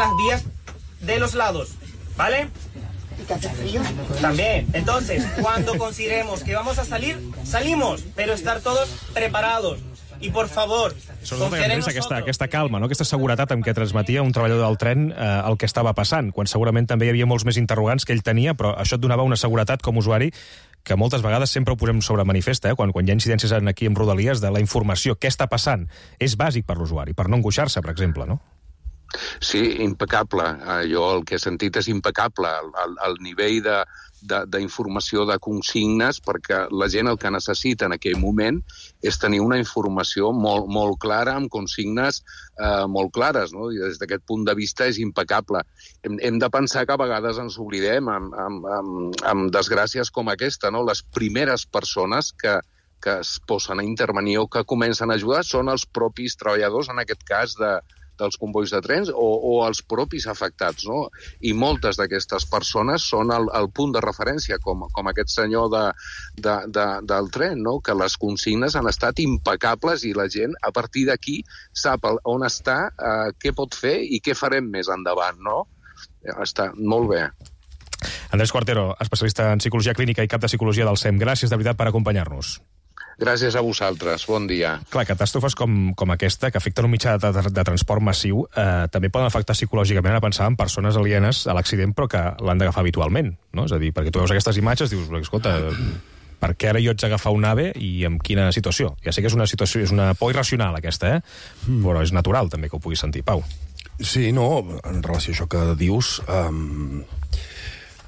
las vías de los lados, ¿vale? ¿Y que hace frío? También. Entonces, cuando consideremos que vamos a salir, salimos, pero estar todos preparados. I, por favor, confiar en nosotros. Aquesta calma, no? Aquesta seguretat amb què transmetia un treballador del tren el que estava passant, quan segurament també hi havia molts més interrogants que ell tenia, però això et donava una seguretat com a usuari que moltes vegades sempre ho posem sobre manifest, quan hi ha incidències aquí en Rodalies, de la informació, què està passant, és bàsic per l'usuari, per no angoixar-se, per exemple, no? Sí, impecable. Jo el que he sentit és impecable. El nivell d'informació de consignes, perquè la gent el que necessita en aquell moment és tenir una informació molt clara, amb consignes molt clares, no? I des d'aquest punt de vista és impecable. Hem de pensar que a vegades ens oblidem amb desgràcies com aquesta, no? Les primeres persones que es posen a intervenir o que comencen a ajudar són els propis treballadors, en aquest cas dels combois de trens, o els propis afectats, no? I moltes d'aquestes persones són el punt de referència, com aquest senyor del tren, no? Que les consignes han estat impecables i la gent, a partir d'aquí, sap on està, què pot fer i què farem més endavant, no? Està molt bé. Andrés Cuartero, especialista en psicologia clínica i cap de psicologia del SEM. Gràcies, de veritat, per acompanyar-nos. Gràcies a vosaltres. Bon dia. Clar, catàstrofes com aquesta, que afecten un mitjà de transport massiu, també poden afectar psicològicament, a pensar en persones alienes a l'accident, però que l'han d'agafar habitualment, no? És a dir, perquè tu veus aquestes imatges i dius, escolta, per què ara jo haig d'agafar un AVE i en quina situació? Ja sé que és una situació, és una por irracional, aquesta, però és natural també que ho puguis sentir. Pau. Sí, no, en relació a això que dius,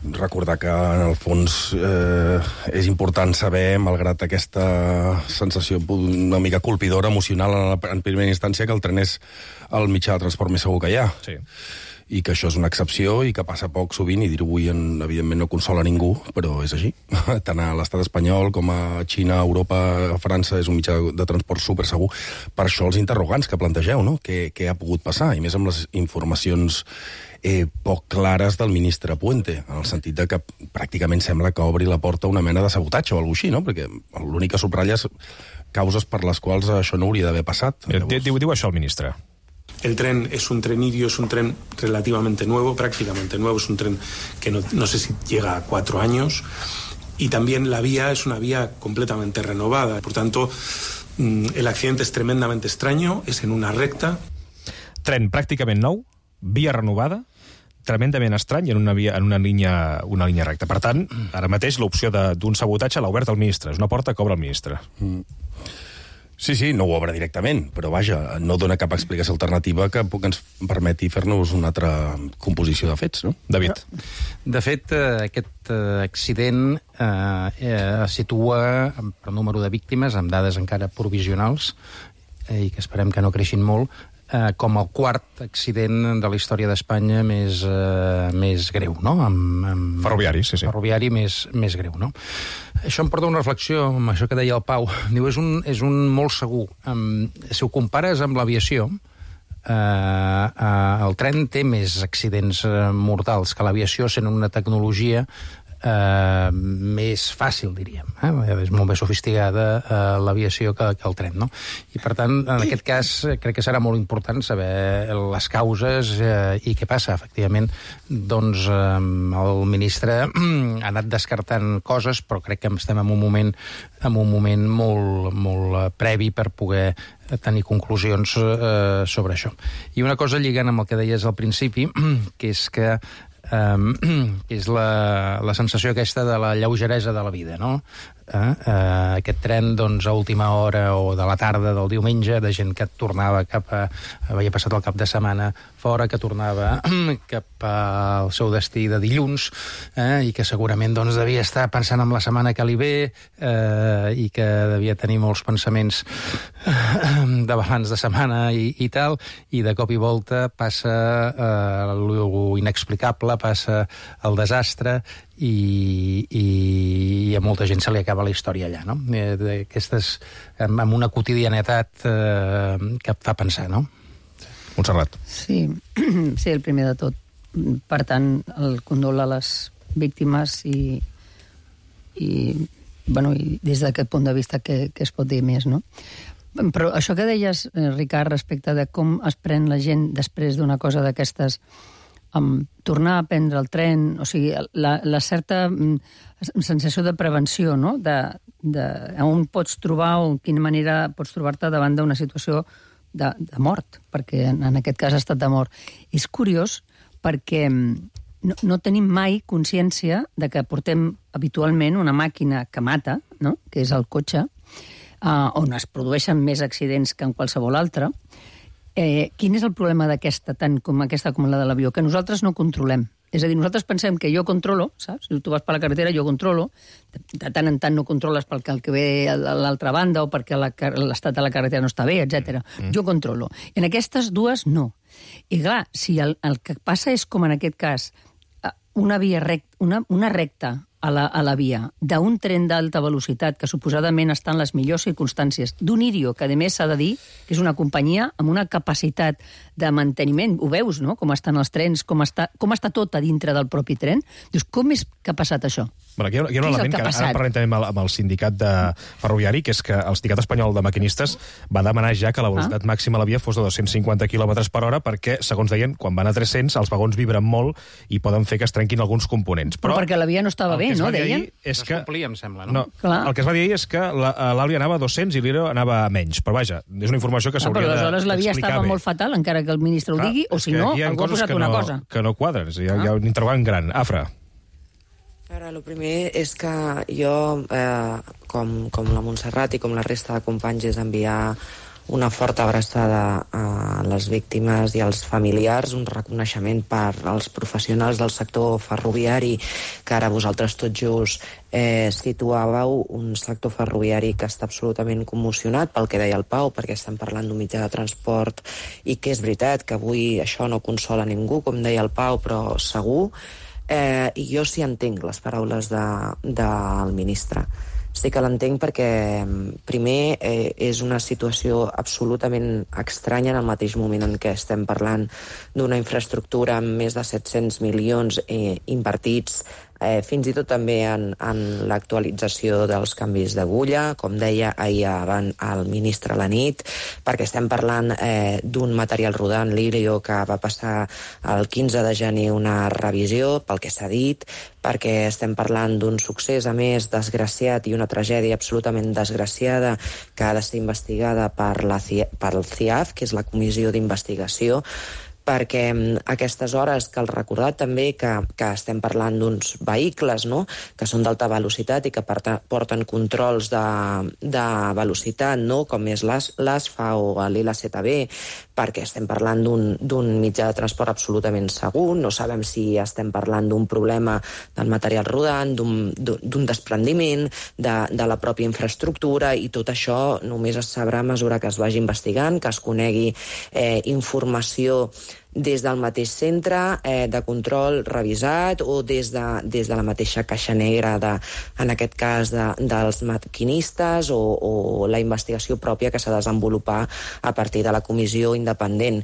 recordar que, en el fons, és important saber, malgrat aquesta sensació una mica colpidora, emocional, en primera instància, que el tren és el mitjà de transport més segur que hi ha. Sí. I que això és una excepció i que passa poc sovint, i dir-ho avui, evidentment, no consola ningú, però és així. Tant a l'estat espanyol com a Xina, a Europa, a França, és un mitjà de transport supersegur. Per això els interrogants que plantegeu, no? Què ha pogut passar? I més amb les informacions poc clares del ministre Puente, en el sentit de que pràcticament sembla que obri la porta a una mena de sabotatge o alguna cosa així, no? Perquè l'únic que subratlla és causes per les quals això no hauria d'haver passat. Diu això el ministre. El tren es un tren irio, es un tren relativamente nuevo, prácticamente nuevo, es un tren que no sé si llega a 4 años, y también la vía es una vía completamente renovada. Por tanto, el accidente es tremendamente extraño, es en una recta. Tren pràcticament nou, via renovada, tremendament estrany en una línia recta. Per tant, ara mateix l'opció d'un sabotatge l'ha obert el ministre. És una porta que obre el ministre. Sí, no ho obre directament, però vaja, no dona cap explicació alternativa que ens permeti fer-nos una altra composició de fets, no? David. De fet, aquest accident es situa per número de víctimes, amb dades encara provisionals, i que esperem que no creixin molt, com el quart accident de la història d'Espanya més greu, no? Ferroviari, sí. Ferroviari més greu, no? Això em porta a una reflexió amb això que deia el Pau. Diu, és un molt segur. Si ho compares amb l'aviació, el tren té més accidents mortals que l'aviació, sent una tecnologia més fàcil, diríem. És molt més sofisticada l'aviació que el tren, no? I, per tant, en aquest cas, crec que serà molt important saber les causes i què passa. Efectivament, doncs, el ministre ha anat descartant coses, però crec que estem en un moment molt previ per poder tenir conclusions sobre això. I una cosa lligant amb el que deies al principi, que és que és la sensació aquesta de la lleugeresa de la vida, no? Aquest tren, doncs, a última hora o de la tarda del diumenge, de gent que tornava havia passat el cap de setmana fora, que tornava cap al seu destí de dilluns, i que segurament, doncs, devia estar pensant en la setmana que li ve, i que devia tenir molts pensaments de balanç de setmana i tal, i de cop i volta passa lo inexplicable, passa el desastre, i a molta gent se li acaba la història allà, no? Aquestes, amb una quotidianitat que et fa pensar, no? Montserrat. Sí, el primer de tot. Per tant, el condol a les víctimes i des d'aquest punt de vista que es pot dir més, no? Però això que deies, Ricard, respecte de com es pren la gent després d'una cosa d'aquestes, tornar a prendre el tren, o sigui, la certa sensació de prevenció, no?, on pots trobar o en quina manera pots trobar-te davant d'una situació de mort, perquè en aquest cas ha estat de mort. És curiós perquè no tenim mai consciència de que portem habitualment una màquina que mata, no?, que és el cotxe, on es produeixen més accidents que en qualsevol altre. Quin és el problema d'aquesta, tant com aquesta com la de l'avió? Que nosaltres no controlem. És a dir, nosaltres pensem que jo controlo, saps? Si tu vas per la carretera, jo controlo. De tant en tant no controles perquè el que ve a l'altra banda o perquè l'estat de la carretera no està bé, etc. Jo controlo. En aquestes dues, no. I clar, si el que passa és, com en aquest cas, una recta a la via d'un tren d'alta velocitat que suposadament està en les millors circumstàncies, d'un Irio, que a més s'ha de dir que és una companyia amb una capacitat de manteniment, ho veus, no?, com estan els trens, com està tot a dintre del propi tren. Dius, com és que ha passat això? Bueno, aquí hi ha un element que ara parlem també amb el sindicat ferroviari, que és que el Sindicat Espanyol de Maquinistes va demanar ja que la velocitat màxima a la via fos de 250 km per hora perquè, segons deien, quan van a 300 els vagons vibren molt i poden fer que es trenquin alguns components. Però perquè la via no estava bé, no, deien? És que es complia, em sembla, no? El que es va dir ahir és que l'Àlia anava a 200 i l'Irio anava a menys. Però vaja, és una informació que s'hauria d'explicar bé. Però aleshores la via estava molt fatal, encara que el ministre ho digui, o si no, algú ha posat una cosa. Que no quadren, hi ha un interrogant gran. Afra. Ara, el primer és que jo, com la Montserrat i com la resta de companys, és enviar una forta abraçada a les víctimes i als familiars, un reconeixement per als professionals del sector ferroviari, que ara vosaltres tot just situàveu, un sector ferroviari que està absolutament commocionat pel que deia el Pau, perquè estem parlant d'un mitjà de transport i que és veritat que avui això no consola ningú, com deia el Pau, però segur. I jo sí entenc les paraules del ministre. Sí que l'entenc perquè, primer, és una situació absolutament estranya en el mateix moment en què estem parlant d'una infraestructura amb més de 700 milions invertits, fins i tot també en l'actualització dels canvis d'agulla, com deia ahir el ministre a la nit, perquè estem parlant d'un material rodant, l'Irio, que va passar el 15 de gener una revisió, pel que s'ha dit, perquè estem parlant d'un succés, a més, desgraciat i una tragèdia absolutament desgraciada que ha de ser investigada pel CIAF, que és la Comissió d'Investigació, perquè aquestes hores cal recordar també que estem parlant d'uns vehicles, no?, que són d'alta velocitat i que porten controls de velocitat, no?, com és l'ASFA o l'ILACTB, perquè estem parlant d'un mitjà de transport absolutament segur, no sabem si estem parlant d'un problema del material rodant, d'un desprendiment de la pròpia infraestructura, i tot això només es sabrà a mesura que es vagi investigant, que es conegui informació des del mateix centre de control revisat o des de la mateixa caixa negra, en aquest cas dels maquinistes, o la investigació pròpia que s'ha de desenvolupar a partir de la comissió independent.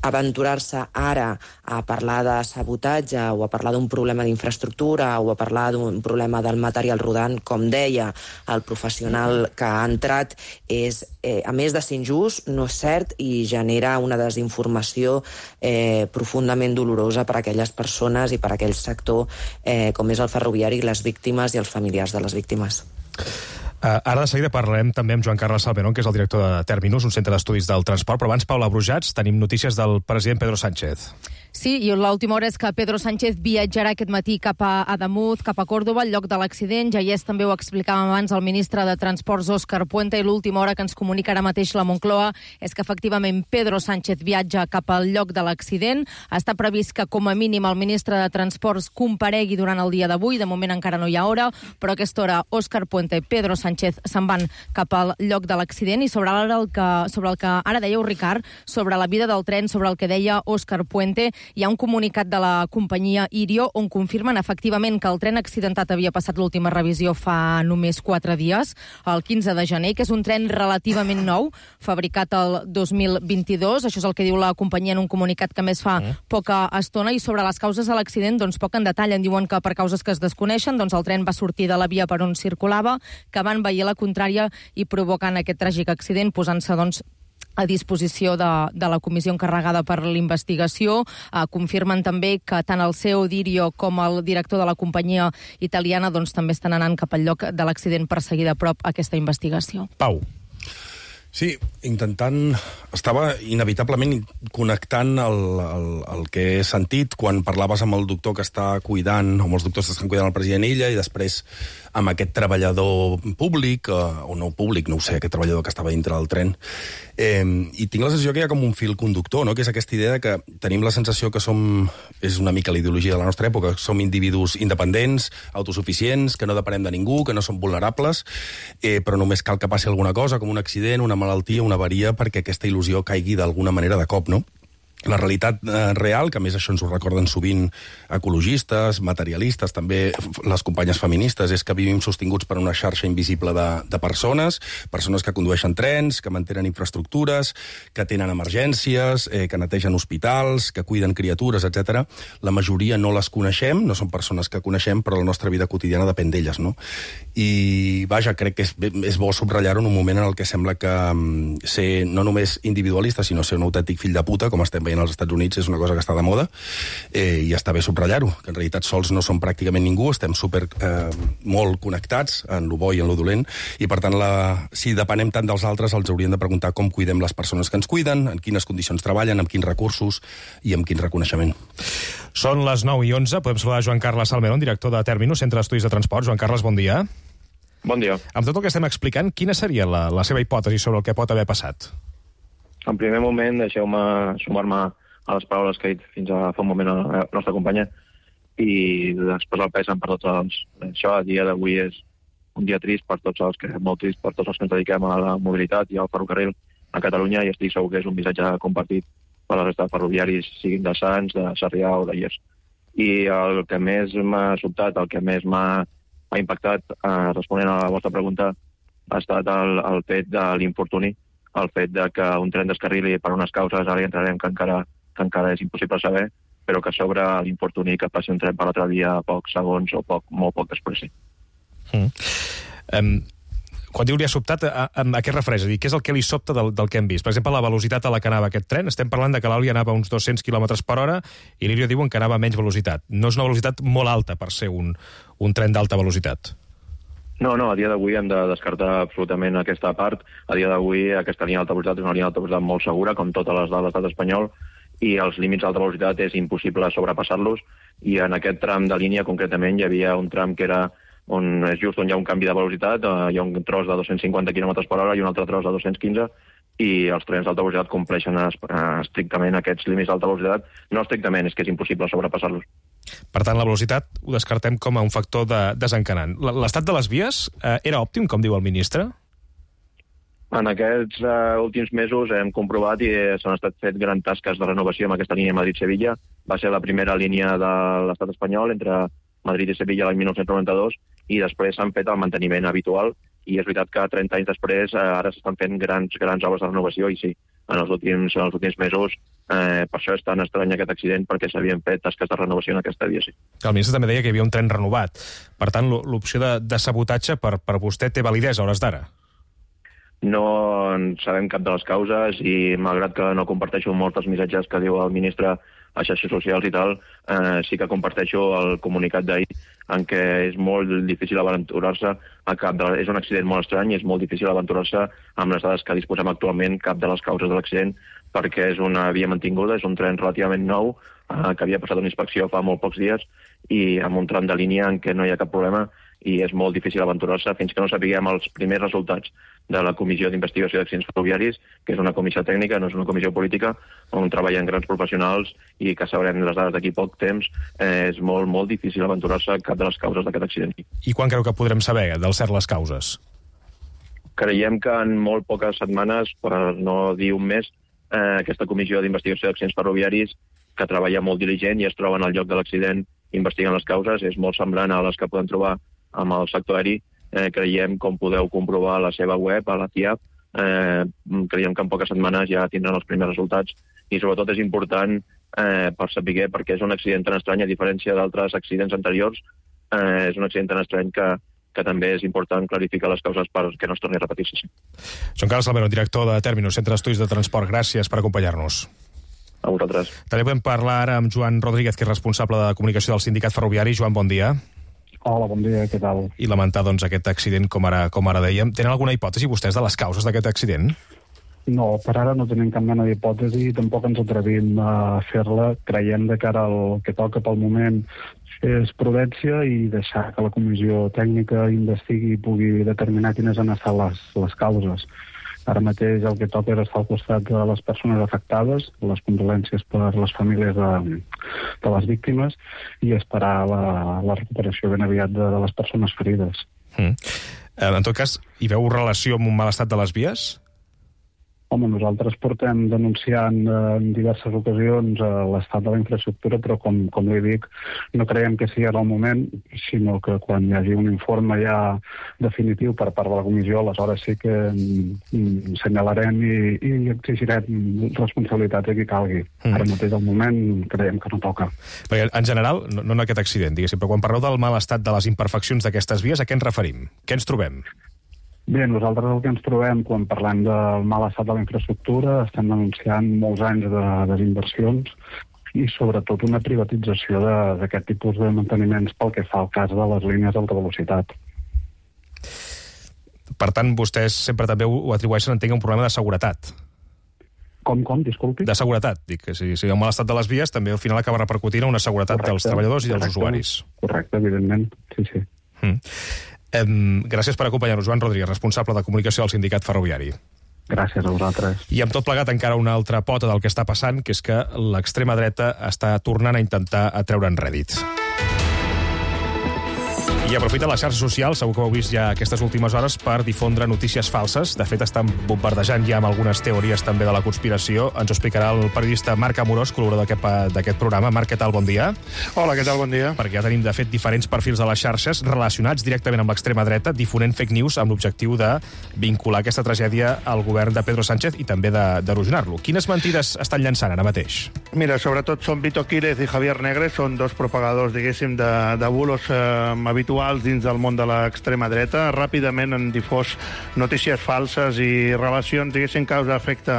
Aventurar-se ara a parlar de sabotatge o a parlar d'un problema d'infraestructura o a parlar d'un problema del material rodant, com deia el professional que ha entrat, és, a més de ser injust, no és cert i genera una desinformació profundament dolorosa per a aquelles persones i per a aquell sector com és el ferroviari, les víctimes i els familiars de les víctimes. Ara de seguida parlarem també amb Joan Carles Salmerón, que és el director de Terminus, un centre d'estudis del transport, però abans, Paula Brujats, tenim notícies del president Pedro Sánchez. Sí, i l'última hora és que Pedro Sánchez viatjarà aquest matí cap a Ademuz, cap a Còrdova, al lloc de l'accident. Ja també ho explicàvem abans el ministre de Transports, Òscar Puente, i l'última hora que ens comunica ara mateix la Moncloa és que efectivament Pedro Sánchez viatja cap al lloc de l'accident. Està previst que com a mínim el ministre de Transports comparegui durant el dia d'avui. De moment encara no hi ha hora, però a aquesta hora Òscar Puente i Pedro Sánchez se'n van cap al lloc de l'accident. I sobre el que ara dèieu, Ricard, sobre la vida del tren, sobre el que deia Òscar Puente, hi ha un comunicat de la companyia Irio on confirmen efectivament que el tren accidentat havia passat l'última revisió fa només 4 dies, el 15 de gener, que és un tren relativament nou, fabricat el 2022. Això és el que diu la companyia en un comunicat que més fa poca estona. I sobre les causes de l'accident, doncs poc en detall. En diuen que per causes que es desconeixen, doncs el tren va sortir de la via per on circulava, que van veir la contrària i provocant aquest tràgic accident, posant-se doncs a disposició de la comissió encarregada per l'investigació. Confirmen també que tant el CEO d'Irio com el director de la companyia italiana doncs també estan anant cap al lloc de l'accident per seguir de prop aquesta investigació. Pau. Sí, estava inevitablement connectant el que he sentit quan parlaves amb el doctor que està cuidant, o amb els doctors que estan cuidant el president Illa, i després amb aquest treballador públic, o no públic, no ho sé, aquest treballador que estava dintre del tren. I tinc la sensació que hi ha com un fil conductor, no? Que és aquesta idea que tenim la sensació que és una mica la ideologia de la nostra època, som individus independents, autosuficients, que no depenem de ningú, que no som vulnerables, però només cal que passi alguna cosa, com un accident, una malaltia, una avaria, perquè aquesta il·lusió caigui d'alguna manera de cop, no? La realitat real, que a més això ens ho recorden sovint ecologistes, materialistes, també les companyes feministes, és que vivim sostinguts per una xarxa invisible de persones que condueixen trens, que mantenen infraestructures, que tenen emergències, que netegen hospitals, que cuiden criatures, etc. La majoria no les coneixem, no són persones que coneixem, però la nostra vida quotidiana depèn d'elles, no? I, vaja, crec que és bo subratllar-ho en un moment en el que sembla que ser no només individualista, sinó ser un autèntic fill de puta, com estem veient als Estats Units, és una cosa que està de moda, i està bé subratllar-ho, que en realitat sols no som pràcticament ningú, estem molt connectats en lo bo i en lo dolent, i per tant, si depenem tant dels altres, els hauríem de preguntar com cuidem les persones que ens cuiden, en quines condicions treballen, amb quins recursos i amb quin reconeixement. Són les 9:11, podem saludar Joan Carles Salmerón, director de Terminus, Centre d'Estudis de Transport. Joan Carles, bon dia. Bon dia. Amb tot el que estem explicant, quina seria la seva hipòtesi sobre el que pot haver passat? En primer moment, deixeu-me sumar-me a les paraules que ha dit fins a fa un moment la nostra companya i després el pesen per tots els... Això a dia d'avui és un dia trist per tots els que, molt trist per tots els que ens dediquem a la mobilitat i al ferrocarril a Catalunya, i estic segur que és un missatge compartit per la resta de ferroviaris, siguin de Sants, de Sarrià o de Llers. I el que més m'ha sobtat, el que més m'ha impactat, responent a la vostra pregunta, ha estat el fet de l'infortuni, el fet de que un tren descarrili per unes causes, ara hi entrarem, que encara és impossible saber, però que sobre l'infortuni que passi un tren per l'altra via a pocs segons o molt poc després. Quan diu li ha sobtat, a què es refereix? Què és el que li sobta del que hem vist? Per exemple, la velocitat a la que anava aquest tren. Estem parlant de que l'Auli anava a uns 200 km per hora i l'Irio diuen que anava a menys velocitat. No és una velocitat molt alta per ser un tren d'alta velocitat. No, a dia d'avui hem de descartar absolutament aquesta part. A dia d'avui aquesta línia d'alta velocitat és una línia d'alta velocitat molt segura, com totes les de l'estat espanyol, i els límits d'alta velocitat és impossible sobrepassar-los, i en aquest tram de línia concretament hi havia un tram que era és just on hi ha un canvi de velocitat, hi ha un tros de 250 km per hora i un altre tros de 215, i els trens d'alta velocitat compleixen estrictament aquests límits d'alta velocitat. No estrictament, és que és impossible sobrepassar-los. Per tant, la velocitat ho descartem com a un factor desencanant. L'estat de les vies era òptim, com diu el ministre? En aquests últims mesos hem comprovat i s'han estat fet grans tasques de renovació amb aquesta línia Madrid-Sevilla. Va ser la primera línia de l'estat espanyol entre Madrid i Sevilla l'any 1992, i després s'han fet el manteniment habitual, i és veritat que 30 anys després ara s'estan fent grans obres de renovació, i sí, en els últims mesos per això és tan estrany aquest accident, perquè s'havien fet tasques de renovació en aquesta via, sí. El ministre també deia que hi havia un tren renovat. Per tant, l'opció de sabotatge per vostè té validesa a hores d'ara? No en sabem cap de les causes, i malgrat que no comparteixo molts dels missatges que diu el ministre a xarxes socials i tal, sí que comparteixo el comunicat d'ahir, en què és molt difícil aventurar-se és un accident molt estrany i és molt difícil aventurar-se amb les dades que disposem actualment cap de les causes de l'accident, perquè és una via mantinguda, és un tren relativament nou, que havia passat una inspecció fa molt pocs dies, i amb un tram de línia en què no hi ha cap problema, i és molt difícil aventurar-se fins que no sapiguem els primers resultats de la Comissió d'Investigació d'Accidents Ferroviaris, que és una comissió tècnica, no és una comissió política, on treballen grans professionals i que sabrem les dades d'aquí poc temps. És molt, molt difícil aventurar-se cap de les causes d'aquest accident. I quan creu que podrem saber del cert les causes? Creiem que en molt poques setmanes, per no dir un mes, aquesta Comissió d'Investigació d'Accidents Ferroviaris que treballa molt diligent i es troben al lloc de l'accident investigant les causes. És molt semblant a les que podem trobar amb el sector aeri. Creiem, com podeu comprovar a la seva web, a la TIAP, creiem que en poques setmanes ja tindran els primers resultats i sobretot és important per saber, perquè és un accident tan estrany, a diferència d'altres accidents anteriors, és un accident tan estrany que també és important clarificar les causes perquè no es torni a repetir-se. Joan Carles Salmero, director de Terminus, Centre d'Estudis de Transport. Gràcies per acompanyar-nos. A vosaltres. També podem parlar ara amb Joan Rodríguez, que és responsable de comunicació del sindicat ferroviari. Joan, bon dia. Hola, bon dia, què tal? I lamentar, doncs, aquest accident, com ara dèiem. Tenen alguna hipòtesi vostès de les causes d'aquest accident? No, per ara no tenim cap mena d'hipòtesi i tampoc ens atrevim a fer-la. Creiem de cara al que toca pel moment és prudència i deixar que la comissió tècnica investigui i pugui determinar quines han estat les causes. Ara mateix el que toca és estar al costat de les persones afectades, les condolències per les famílies de les víctimes i esperar la recuperació ben aviat de les persones ferides. En tot cas, hi veu relació amb un mal estat de les vies? Home, nosaltres portem denunciant en diverses ocasions l'estat de la infraestructura, però com li dic, no creiem que sigui ara el moment, sinó que quan hi hagi un informe ja definitiu per part de la comissió, aleshores sí que senyalarem i exigirem responsabilitat a qui calgui. Ara mateix al moment creiem que no toca. Perquè en general, no en aquest accident, diguéssim, però quan parleu del mal estat de les imperfeccions d'aquestes vies, a què ens referim? Què ens trobem? Bé, nosaltres el que ens trobem quan parlem del mal estat de la infraestructura estem denunciant molts anys de desinversions i sobretot una privatització d'aquest tipus de manteniments pel que fa al cas de les línies d'alta velocitat. Per tant, vostès sempre també ho atribueixen, entenc, un problema de seguretat. Com, disculpi? De seguretat, dic, que si hi ha un mal estat de les vies també al final acaba repercutint en una seguretat dels treballadors i dels usuaris. Correcte, evidentment, sí. Gràcies per acompanyar-nos, Joan Rodríguez, responsable de comunicació del sindicat ferroviari. Gràcies a vosaltres. I amb tot plegat encara una altra pota del que està passant, que és que l'extrema dreta està tornant a intentar atreure'n rèdits. I aprofita les xarxes socials, segur que ho heu vist ja aquestes últimes hores, per difondre notícies falses. De fet, estan bombardejant ja amb algunes teories també de la conspiració. Ens ho explicarà el periodista Marc Amorós, col·laborador d'aquest programa. Marc, què tal? Bon dia. Hola, què tal? Bon dia. Perquè ja tenim, de fet, diferents perfils a les xarxes relacionats directament amb l'extrema dreta, difonent fake news amb l'objectiu de vincular aquesta tragèdia al govern de Pedro Sánchez i també d'erosionar-lo. Quines mentides estan llançant ara mateix? Mira, sobretot són Vito Quílez i Javier Negre, són dos propagadors, diguéssim, de bulos habituals dins del món de l'extrema dreta. Ràpidament han difós notícies falses i relacions, diguéssim, causa-efecte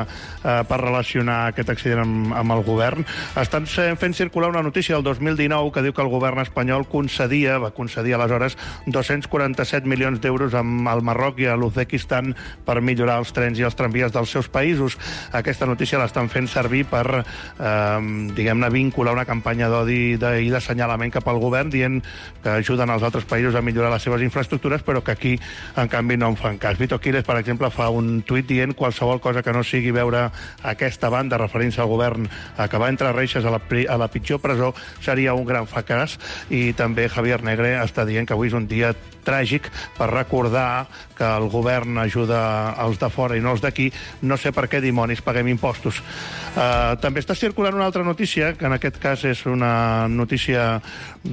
per relacionar aquest accident amb el govern. Estan fent circular una notícia del 2019 que diu que el govern espanyol va concedir aleshores 247 milions d'euros al Marroc i a l'Uzbekistan per millorar els trens i els tramvies dels seus països. Aquesta notícia l'estan fent servir per, diguem-ne, vincular una campanya d'odi i d'assenyalament cap al govern, dient que ajuden els altres països a millorar les seves infraestructures, però que aquí, en canvi, no en fan cas. Vito Quílez, per exemple, fa un tuit dient qualsevol cosa que no sigui veure aquesta banda, referint-se al govern que va entre reixes a la pitjor presó, seria un gran fracàs. I també Javier Negre està dient que avui és un dia tràgic per recordar que el govern ajuda els de fora i no els d'aquí. No sé per què dimonis paguem impostos. També està circulant una altra notícia, que en aquest cas és una notícia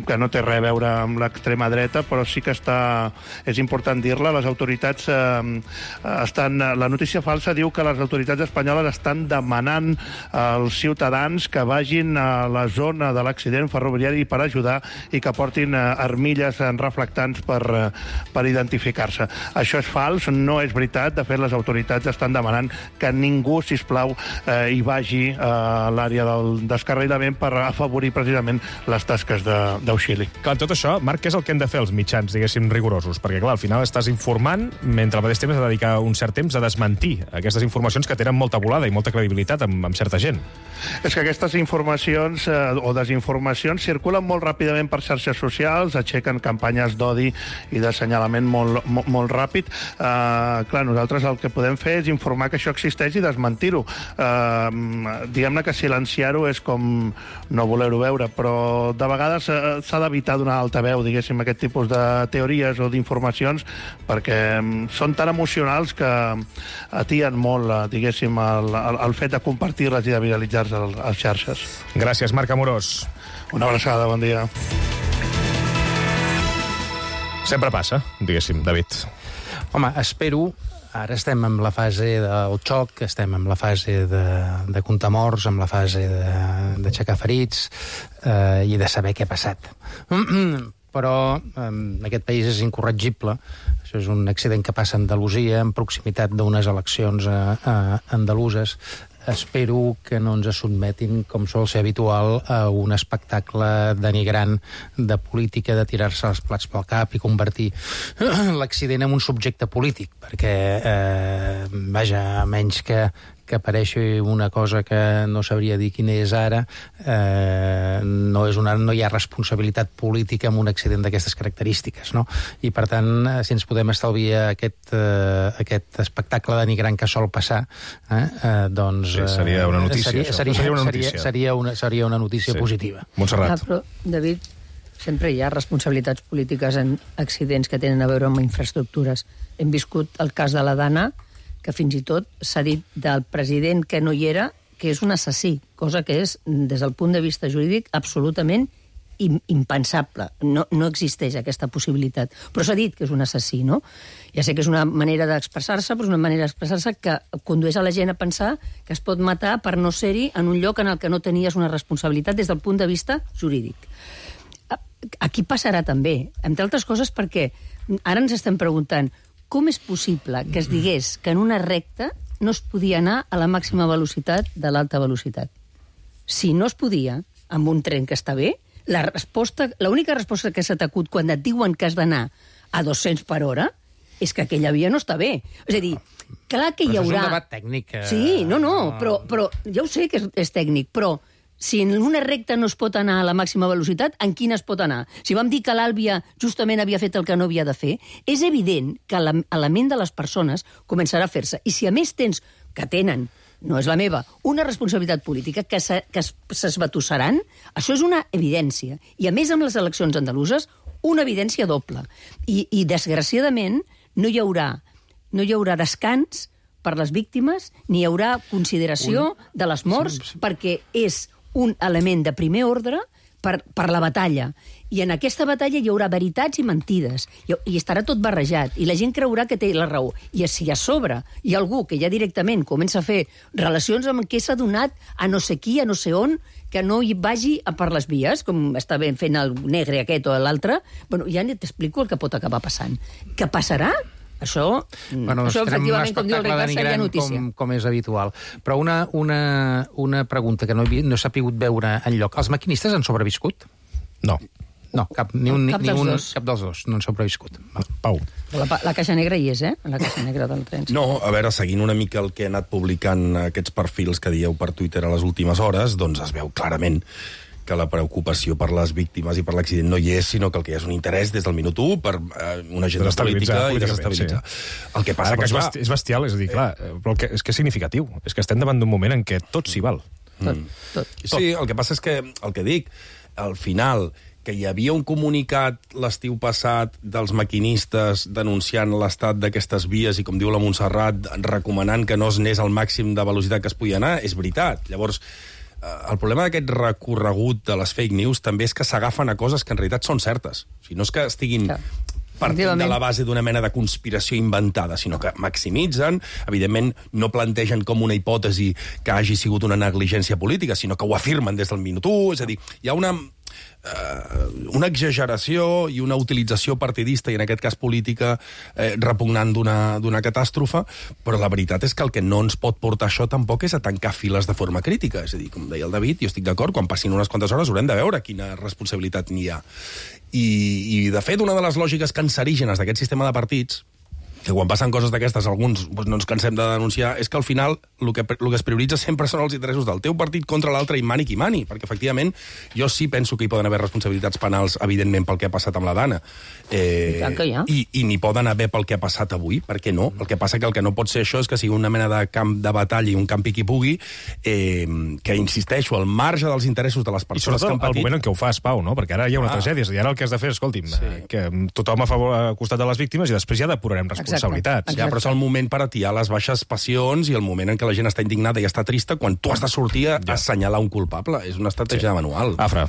que no té res a veure amb l'extrema dreta, però sí que és important dir-la. Les autoritats la notícia falsa diu que les autoritats espanyoles estan demanant als ciutadans que vagin a la zona de l'accident ferroviari per ajudar i que portin armilles reflectants per identificar-se. Això és fals, no és veritat. De fet, les autoritats estan demanant que ningú, sisplau, hi vagi a l'àrea del descarrilament per afavorir precisament les tasques d'auxili. Clar, tot això, Marc, què és el que hem de fer els mitjans, diguéssim, rigorosos? Perquè, clar, al final estàs informant, mentre al mateix temps has de dedicar un cert temps a desmentir aquestes informacions que tenen molta volada i molta credibilitat amb certa gent. És que aquestes informacions o desinformacions circulen molt ràpidament per xarxes socials, aixequen campanyes d'odi i d'assenyalament molt ràpid. Clar, nosaltres el que podem fer és informar que això existeix i desmentir-ho. Diguem-ne que silenciar-ho és com no voler-ho veure, però de vegades s'ha d'evitar donar altaveu, diguéssim, aquest aquest tipus de teories o d'informacions, perquè són tan emocionals que atien molt, diguéssim, el fet de compartir-les i de viralitzar-se a les xarxes. Gràcies, Marc Amorós. Una abraçada, bon dia. Sempre passa, diguéssim, David. Home, espero... Ara estem en la fase del xoc, estem en la fase de comptar morts, en la fase d'aixecar ferits i de saber què ha passat. Però aquest país és incorregible. Això és un accident que passa a Andalusia, en proximitat d'unes eleccions andaluses. Espero que no ens sotmetin, com sol ser habitual, a un espectacle denigrant de política, de tirar-se els plats pel cap i convertir l'accident en un subjecte polític, perquè, vaja, a menys que apareixi una cosa que no sabria dir quina és ara, no hi ha responsabilitat política en un accident d'aquestes característiques, no? I, per tant, si ens podem estalviar aquest espectacle denigrant que sol passar, doncs... Sí, seria una notícia. Seria una notícia positiva. Montserrat. Però, David, sempre hi ha responsabilitats polítiques en accidents que tenen a veure amb infraestructures. Hem viscut el cas de la Dana, que fins i tot s'ha dit del president que no hi era, que és un assassí, cosa que és, des del punt de vista jurídic, absolutament impensable. No existeix aquesta possibilitat. Però s'ha dit que és un assassí, no? Ja sé que és una manera d'expressar-se, però és una manera d'expressar-se que condueix a la gent a pensar que es pot matar per no ser-hi en un lloc en el que no tenies una responsabilitat des del punt de vista jurídic. Aquí passarà també, entre altres coses perquè ara ens estem preguntant com és possible que es digués que en una recta no es podia anar a la màxima velocitat de l'alta velocitat. Si no es podia, amb un tren que està bé, l'única resposta que s'ha acut quan et diuen que has d'anar a 200 per hora és que aquella via no està bé. És a dir, clar que hi haurà... Però això és un debat tècnic. Sí, però ja ho sé que és tècnic, però si en una recta no es pot anar a la màxima velocitat, en quina es pot anar? Si vam dir que l'Àlvia justament havia fet el que no havia de fer, és evident que la ment de les persones començarà a fer-se. I si a més tenen, no és la meva, una responsabilitat política que s'esbatussaran, això és una evidència. I a més amb les eleccions andaluses, una evidència doble. I desgraciadament no hi haurà descans per les víctimes, ni hi haurà consideració de les morts, perquè és un element de primer ordre per la batalla. I en aquesta batalla hi haurà veritats i mentides. I estarà tot barrejat. I la gent creurà que té la raó. I si a sobre hi ha algú que ja directament comença a fer relacions amb què s'ha donat a no sé qui, a no sé on, que no hi vagi per les vies, com està ben fent el negre aquest o l'altre, bueno, ja t'explico el que pot acabar passant. Què passarà? Això efectivament, com diu el Ricard, seria notícia. Com és habitual. Però una pregunta que no s'ha pogut veure enlloc. Els maquinistes han sobreviscut? No. No, cap dels dos no han sobreviscut. Pau. La caixa negra hi és, la caixa negra del tren. No, a veure, seguint una mica el que ha anat publicant aquests perfils que dieu per Twitter a les últimes hores, doncs es veu clarament que la preocupació per les víctimes i per l'accident no hi és, sinó que el que hi ha és un interès des del minut 1 per una agenda política i desestabilitzar. Sí. El que passa és bestial, és a dir, clar, però és que és significatiu. És que estem davant d'un moment en què tot s'hi val. Tot. Sí, el que passa és que, el que dic, al final, que hi havia un comunicat l'estiu passat dels maquinistes denunciant l'estat d'aquestes vies i, com diu la Montserrat, recomanant que no es anés al màxim de velocitat que es podia anar, és veritat. Llavors, el problema d'aquest recorregut de les fake news també és que s'agafen a coses que en realitat són certes. O sigui, no és que estiguin partint de la base d'una mena de conspiració inventada, sinó que maximitzen, evidentment no plantegen com una hipòtesi que hagi sigut una negligència política, sinó que ho afirmen des del minut 1, és a dir, hi ha una exageració i una utilització partidista, i en aquest cas política, repugnant d'una catàstrofe, però la veritat és que el que no ens pot portar això tampoc és a tancar files de forma crítica. És a dir, com deia el David, jo estic d'acord, quan passin unes quantes hores haurem de veure quina responsabilitat n'hi ha. I de fet, una de les lògiques cancerígenes d'aquest sistema de partits que quan passen coses d'aquestes alguns no ens cansem de denunciar, és que al final el que es prioritza sempre són els interessos del teu partit contra l'altre i mani qui mani, perquè efectivament jo sí penso que hi poden haver responsabilitats penals, evidentment, pel que ha passat amb la Dana. I n'hi poden haver pel que ha passat avui, per què no? El que passa que el que no pot ser això és que sigui una mena de camp de batalla i un camp qui pugui, que insisteixo, al marge dels interessos de les persones que han patit... I sobretot el moment en què ho fas, Pau, no? Perquè ara hi ha una tragèdia, i ara el que has de fer, escolti'm, que tothom a costat de les víctimes i després ja depurarem responsabilitats. Ja, però és el moment per atiar les baixes passions i el moment en què la gent està indignada i està trista quan tu has de sortir a assenyalar un culpable. És una estratègia manual. Afra.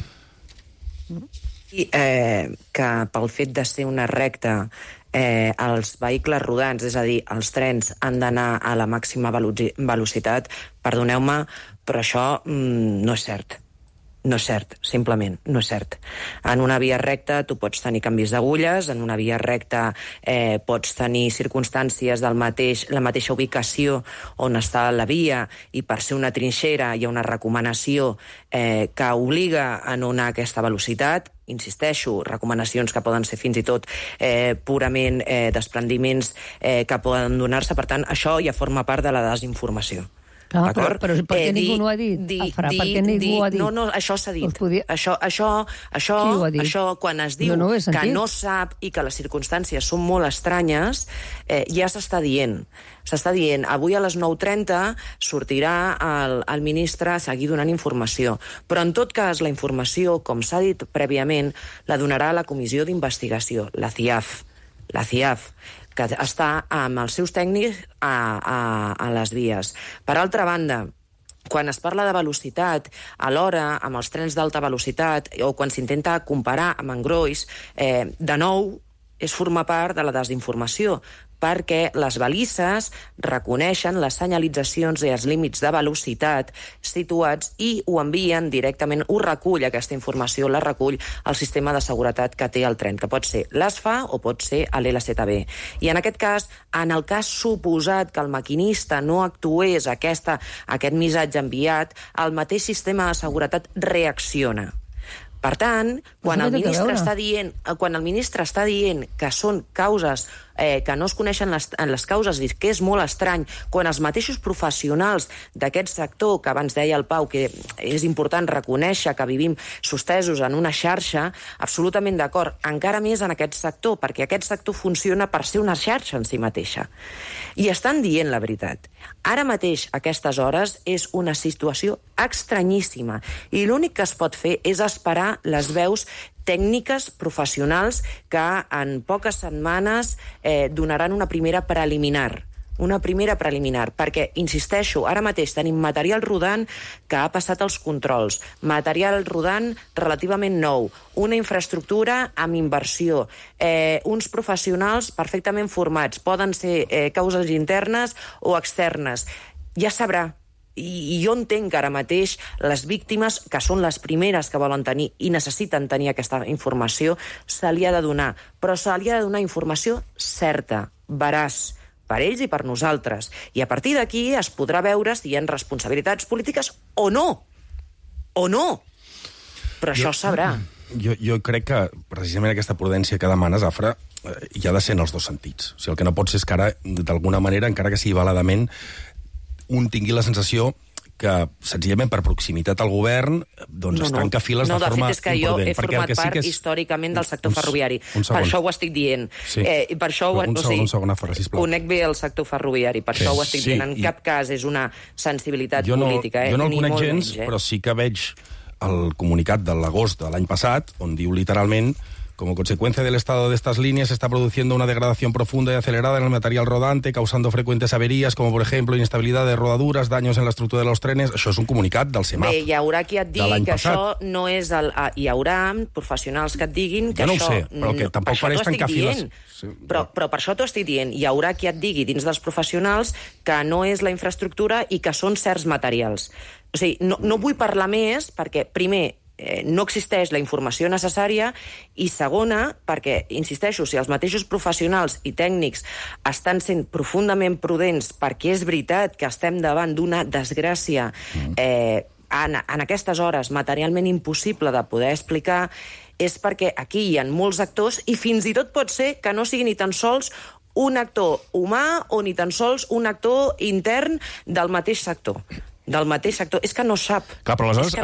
I que pel fet de ser una recta els vehicles rodants, és a dir, els trens han d'anar a la màxima velocitat, perdoneu-me, però això no és cert. No és cert, simplement, no és cert. En una via recta tu pots tenir canvis d'agulles, en una via recta pots tenir circumstàncies la mateixa ubicació on està la via, i per ser una trinxera hi ha una recomanació que obliga a no anar a aquesta velocitat. Insisteixo, recomanacions que poden ser fins i tot purament desprendiments que poden donar-se. Per tant, això ja forma part de la desinformació. Clar, però per què ningú no ho ha dit? Per què ningú ho ha dit? No, això s'ha dit. Això, quan es diu que no sap i que les circumstàncies són molt estranyes, ja s'està dient. S'està dient, avui a les 9:30 sortirà el ministre a seguir donant informació. Però, en tot cas, la informació, com s'ha dit prèviament, la donarà la comissió d'investigació, la CIAF, que està amb els seus tècnics a les vies. Per altra banda, quan es parla de velocitat, alhora, amb els trens d'alta velocitat, o quan s'intenta comparar amb engrois, de nou, és formar part de la desinformació, perquè les balises reconeixen les senyalitzacions i els límits de velocitat situats i ho envien directament, ho recull, aquesta informació la recull el sistema de seguretat que té el tren, que pot ser l'ASFA o pot ser l'LZB. I en aquest cas, en el cas suposat que el maquinista no actués aquest missatge enviat, el mateix sistema de seguretat reacciona. Per tant, quan el ministre està dient que són causes que no es coneixen les causes i que és molt estrany, quan els mateixos professionals d'aquest sector, que abans deia el Pau, que és important reconèixer que vivim sostesos en una xarxa, absolutament d'acord, encara més en aquest sector, perquè aquest sector funciona per ser una xarxa en si mateixa. I estan dient la veritat. Ara mateix, a aquestes hores, és una situació estranyíssima i l'únic que es pot fer és esperar les veus tècniques professionals que en poques setmanes donaran una primera preliminar, perquè, insisteixo, ara mateix tenim material rodant que ha passat els controls, material rodant relativament nou, una infraestructura amb inversió, uns professionals perfectament formats, poden ser causes internes o externes, ja sabrà. I jo entenc que ara mateix les víctimes, que són les primeres que volen tenir i necessiten tenir aquesta informació, se li ha de donar, però se li ha de donar informació certa, veraç, per ells i per nosaltres. I a partir d'aquí es podrà veure si hi ha responsabilitats polítiques o no. O no. Però això es sabrà. Jo crec que precisament aquesta prudència que demanes, Afra, hi ha de ser en els dos sentits. O sigui, el que no pot ser és que ara, d'alguna manera, encara que sigui valedament, un tingui la sensació que, senzillament per proximitat al govern, doncs es tanca files de forma imprudent. No, de fet és que jo he format part històricament del sector ferroviari. Per això ho estic dient. Un segon, Afra, sisplau. Conec bé el sector ferroviari, per això ho estic dient. En cap cas és una sensibilitat política. Jo no el conec gens, però sí que veig el comunicat de l'agost de l'any passat, on diu literalment: como consecuencia del estado de estas líneas se está produciendo una degradación profunda y acelerada en el material rodante, causando frecuentes averías, como por ejemplo inestabilidad de rodaduras, daños en la estructura de los trenes. Això és un comunicat del CEMAF. Bé, hi haurà qui et digui que això no és hi haurà professionals que et diguin que jo no això... ho sé, però que tampoc faré tancar files. Però per això t'ho estic dient. Hi haurà qui et digui dins dels professionals que no és la infraestructura i que són certs materials. O sigui, no vull parlar més perquè, primer, no existeix la informació necessària i segona, perquè, insisteixo, si els mateixos professionals i tècnics estan sent profundament prudents perquè és veritat que estem davant d'una desgràcia en aquestes hores materialment impossible de poder explicar, és perquè aquí hi ha molts actors i fins i tot pot ser que no sigui ni tan sols un actor humà o ni tan sols un actor intern del mateix sector. És que no sap. Clar, però aleshores,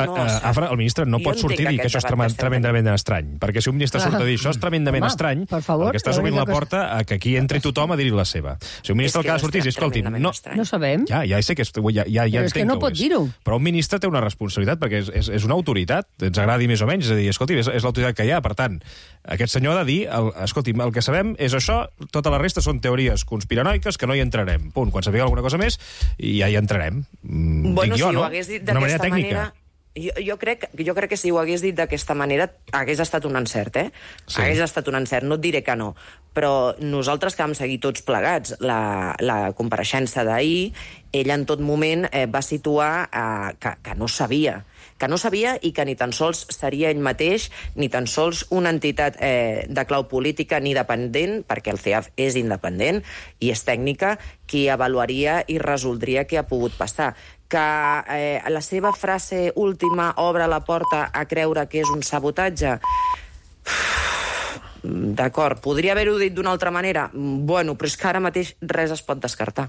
Afra, el ministre no pot sortir i dir que això és tremendament estrany. Perquè si un ministre surt a dir això és tremendament estrany, el que estàs obrint la porta a que aquí entri tothom a dir-hi la seva. Si un ministre el que ha de sortir és, escolti, no sabem. Ja sé que ja però és que no pot dir-ho. Però un ministre té una responsabilitat, perquè és una autoritat, ens agradi més o menys, és a dir, escolti, és l'autoritat que hi ha, per tant, aquest senyor ha de dir, escolti, el que sabem és això, tota la resta són teories conspiranoiques que no hi entrarem. Punt. Quan sapiguem alguna cosa més, ja hi entrarem. Bueno, si ho hagués dit d'aquesta manera... Jo crec que si ho hagués dit d'aquesta manera hagués estat un encert, Sí. Hagués estat un encert, no et diré que no. Però nosaltres que vam seguir tots plegats la compareixença d'ahir, ell en tot moment va situar que no sabia i que ni tan sols seria ell mateix, ni tan sols una entitat de clau política ni dependent, perquè el CEAF és independent i és tècnica, qui avaluaria i resoldria què ha pogut passar. Que la seva frase última obre la porta a creure que és un sabotatge... D'acord, podria haver-ho dit d'una altra manera? Bueno, però és que ara mateix res es pot descartar.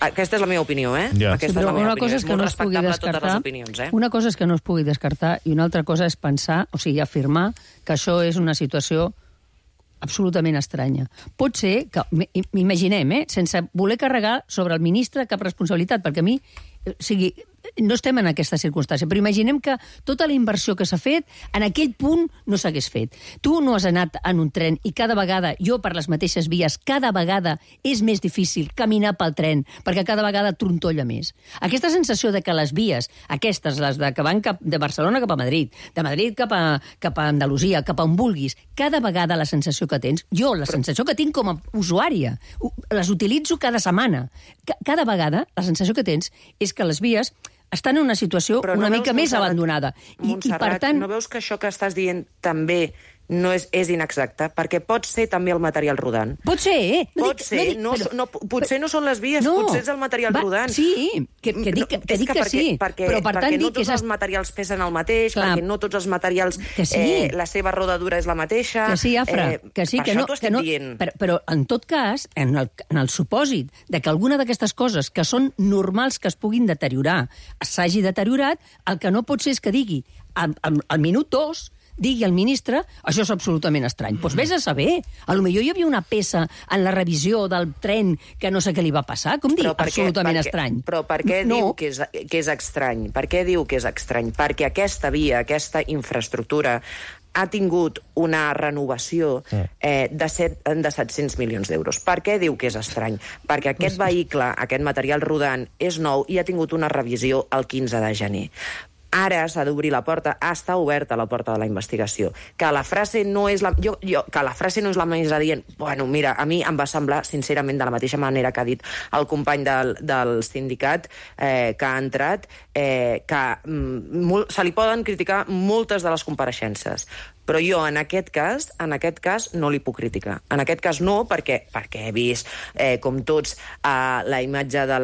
Aquesta és la meva opinió, Aquesta és la meva opinió. És molt respectable a totes les opinions, Una cosa és que no es pugui descartar i una altra cosa és pensar, o sigui, afirmar que això és una situació absolutament estranya. Pot ser que, imaginem, sense voler carregar sobre el ministre cap responsabilitat, perquè a mi, o sigui, no estem en aquesta circumstància, però imaginem que tota la inversió que s'ha fet en aquell punt no s'hagués fet. Tu no has anat en un tren i cada vegada, jo per les mateixes vies, cada vegada és més difícil caminar pel tren, perquè cada vegada trontolla més. Aquesta sensació de que les vies, aquestes, les que van de Barcelona cap a Madrid, de Madrid cap a Andalusia, cap a on vulguis, cada vegada la sensació que tens, jo la sensació que tinc com a usuària, les utilitzo cada setmana, cada vegada la sensació que tens és que les vies estan en una situació una mica més abandonada. Montserrat, i per tant... no veus que això que estàs dient també no és inexacte? Perquè pot ser també el material rodant. Pot ser, potser no són les vies, potser és el material rodant. Sí, que dic que sí. Però per tant no tots els materials pesen el mateix, perquè no tots els materials... La seva rodadura és la mateixa... Que sí, Afra, que sí, que no... Però en tot cas, en el supòsit de que alguna d'aquestes coses que són normals que es puguin deteriorar s'hagi deteriorat, el que no pot ser és que digui al minut 2 digui al ministre, això és absolutament estrany. Doncs vés a saber. Potser hi havia una peça en la revisió del tren que no sé què li va passar. Com dir absolutament estrany? Però per què diu que és estrany? Per què diu que és estrany? Perquè aquesta via, aquesta infraestructura, ha tingut una renovació de 700 milions d'euros. Per què diu que és estrany? Perquè aquest vehicle, aquest material rodant, és nou i ha tingut una revisió el 15 de gener. Ara s'ha d'obrir la porta, està oberta la porta de la investigació. Que la frase no és la... que la frase no és la més adient. Bueno, mira, a mi em va semblar, sincerament, de la mateixa manera que ha dit el company del sindicat que ha entrat, que se li poden criticar moltes de les compareixences. Però jo, en aquest cas, no li puc criticar. En aquest cas no, perquè he vist, com tots, la imatge de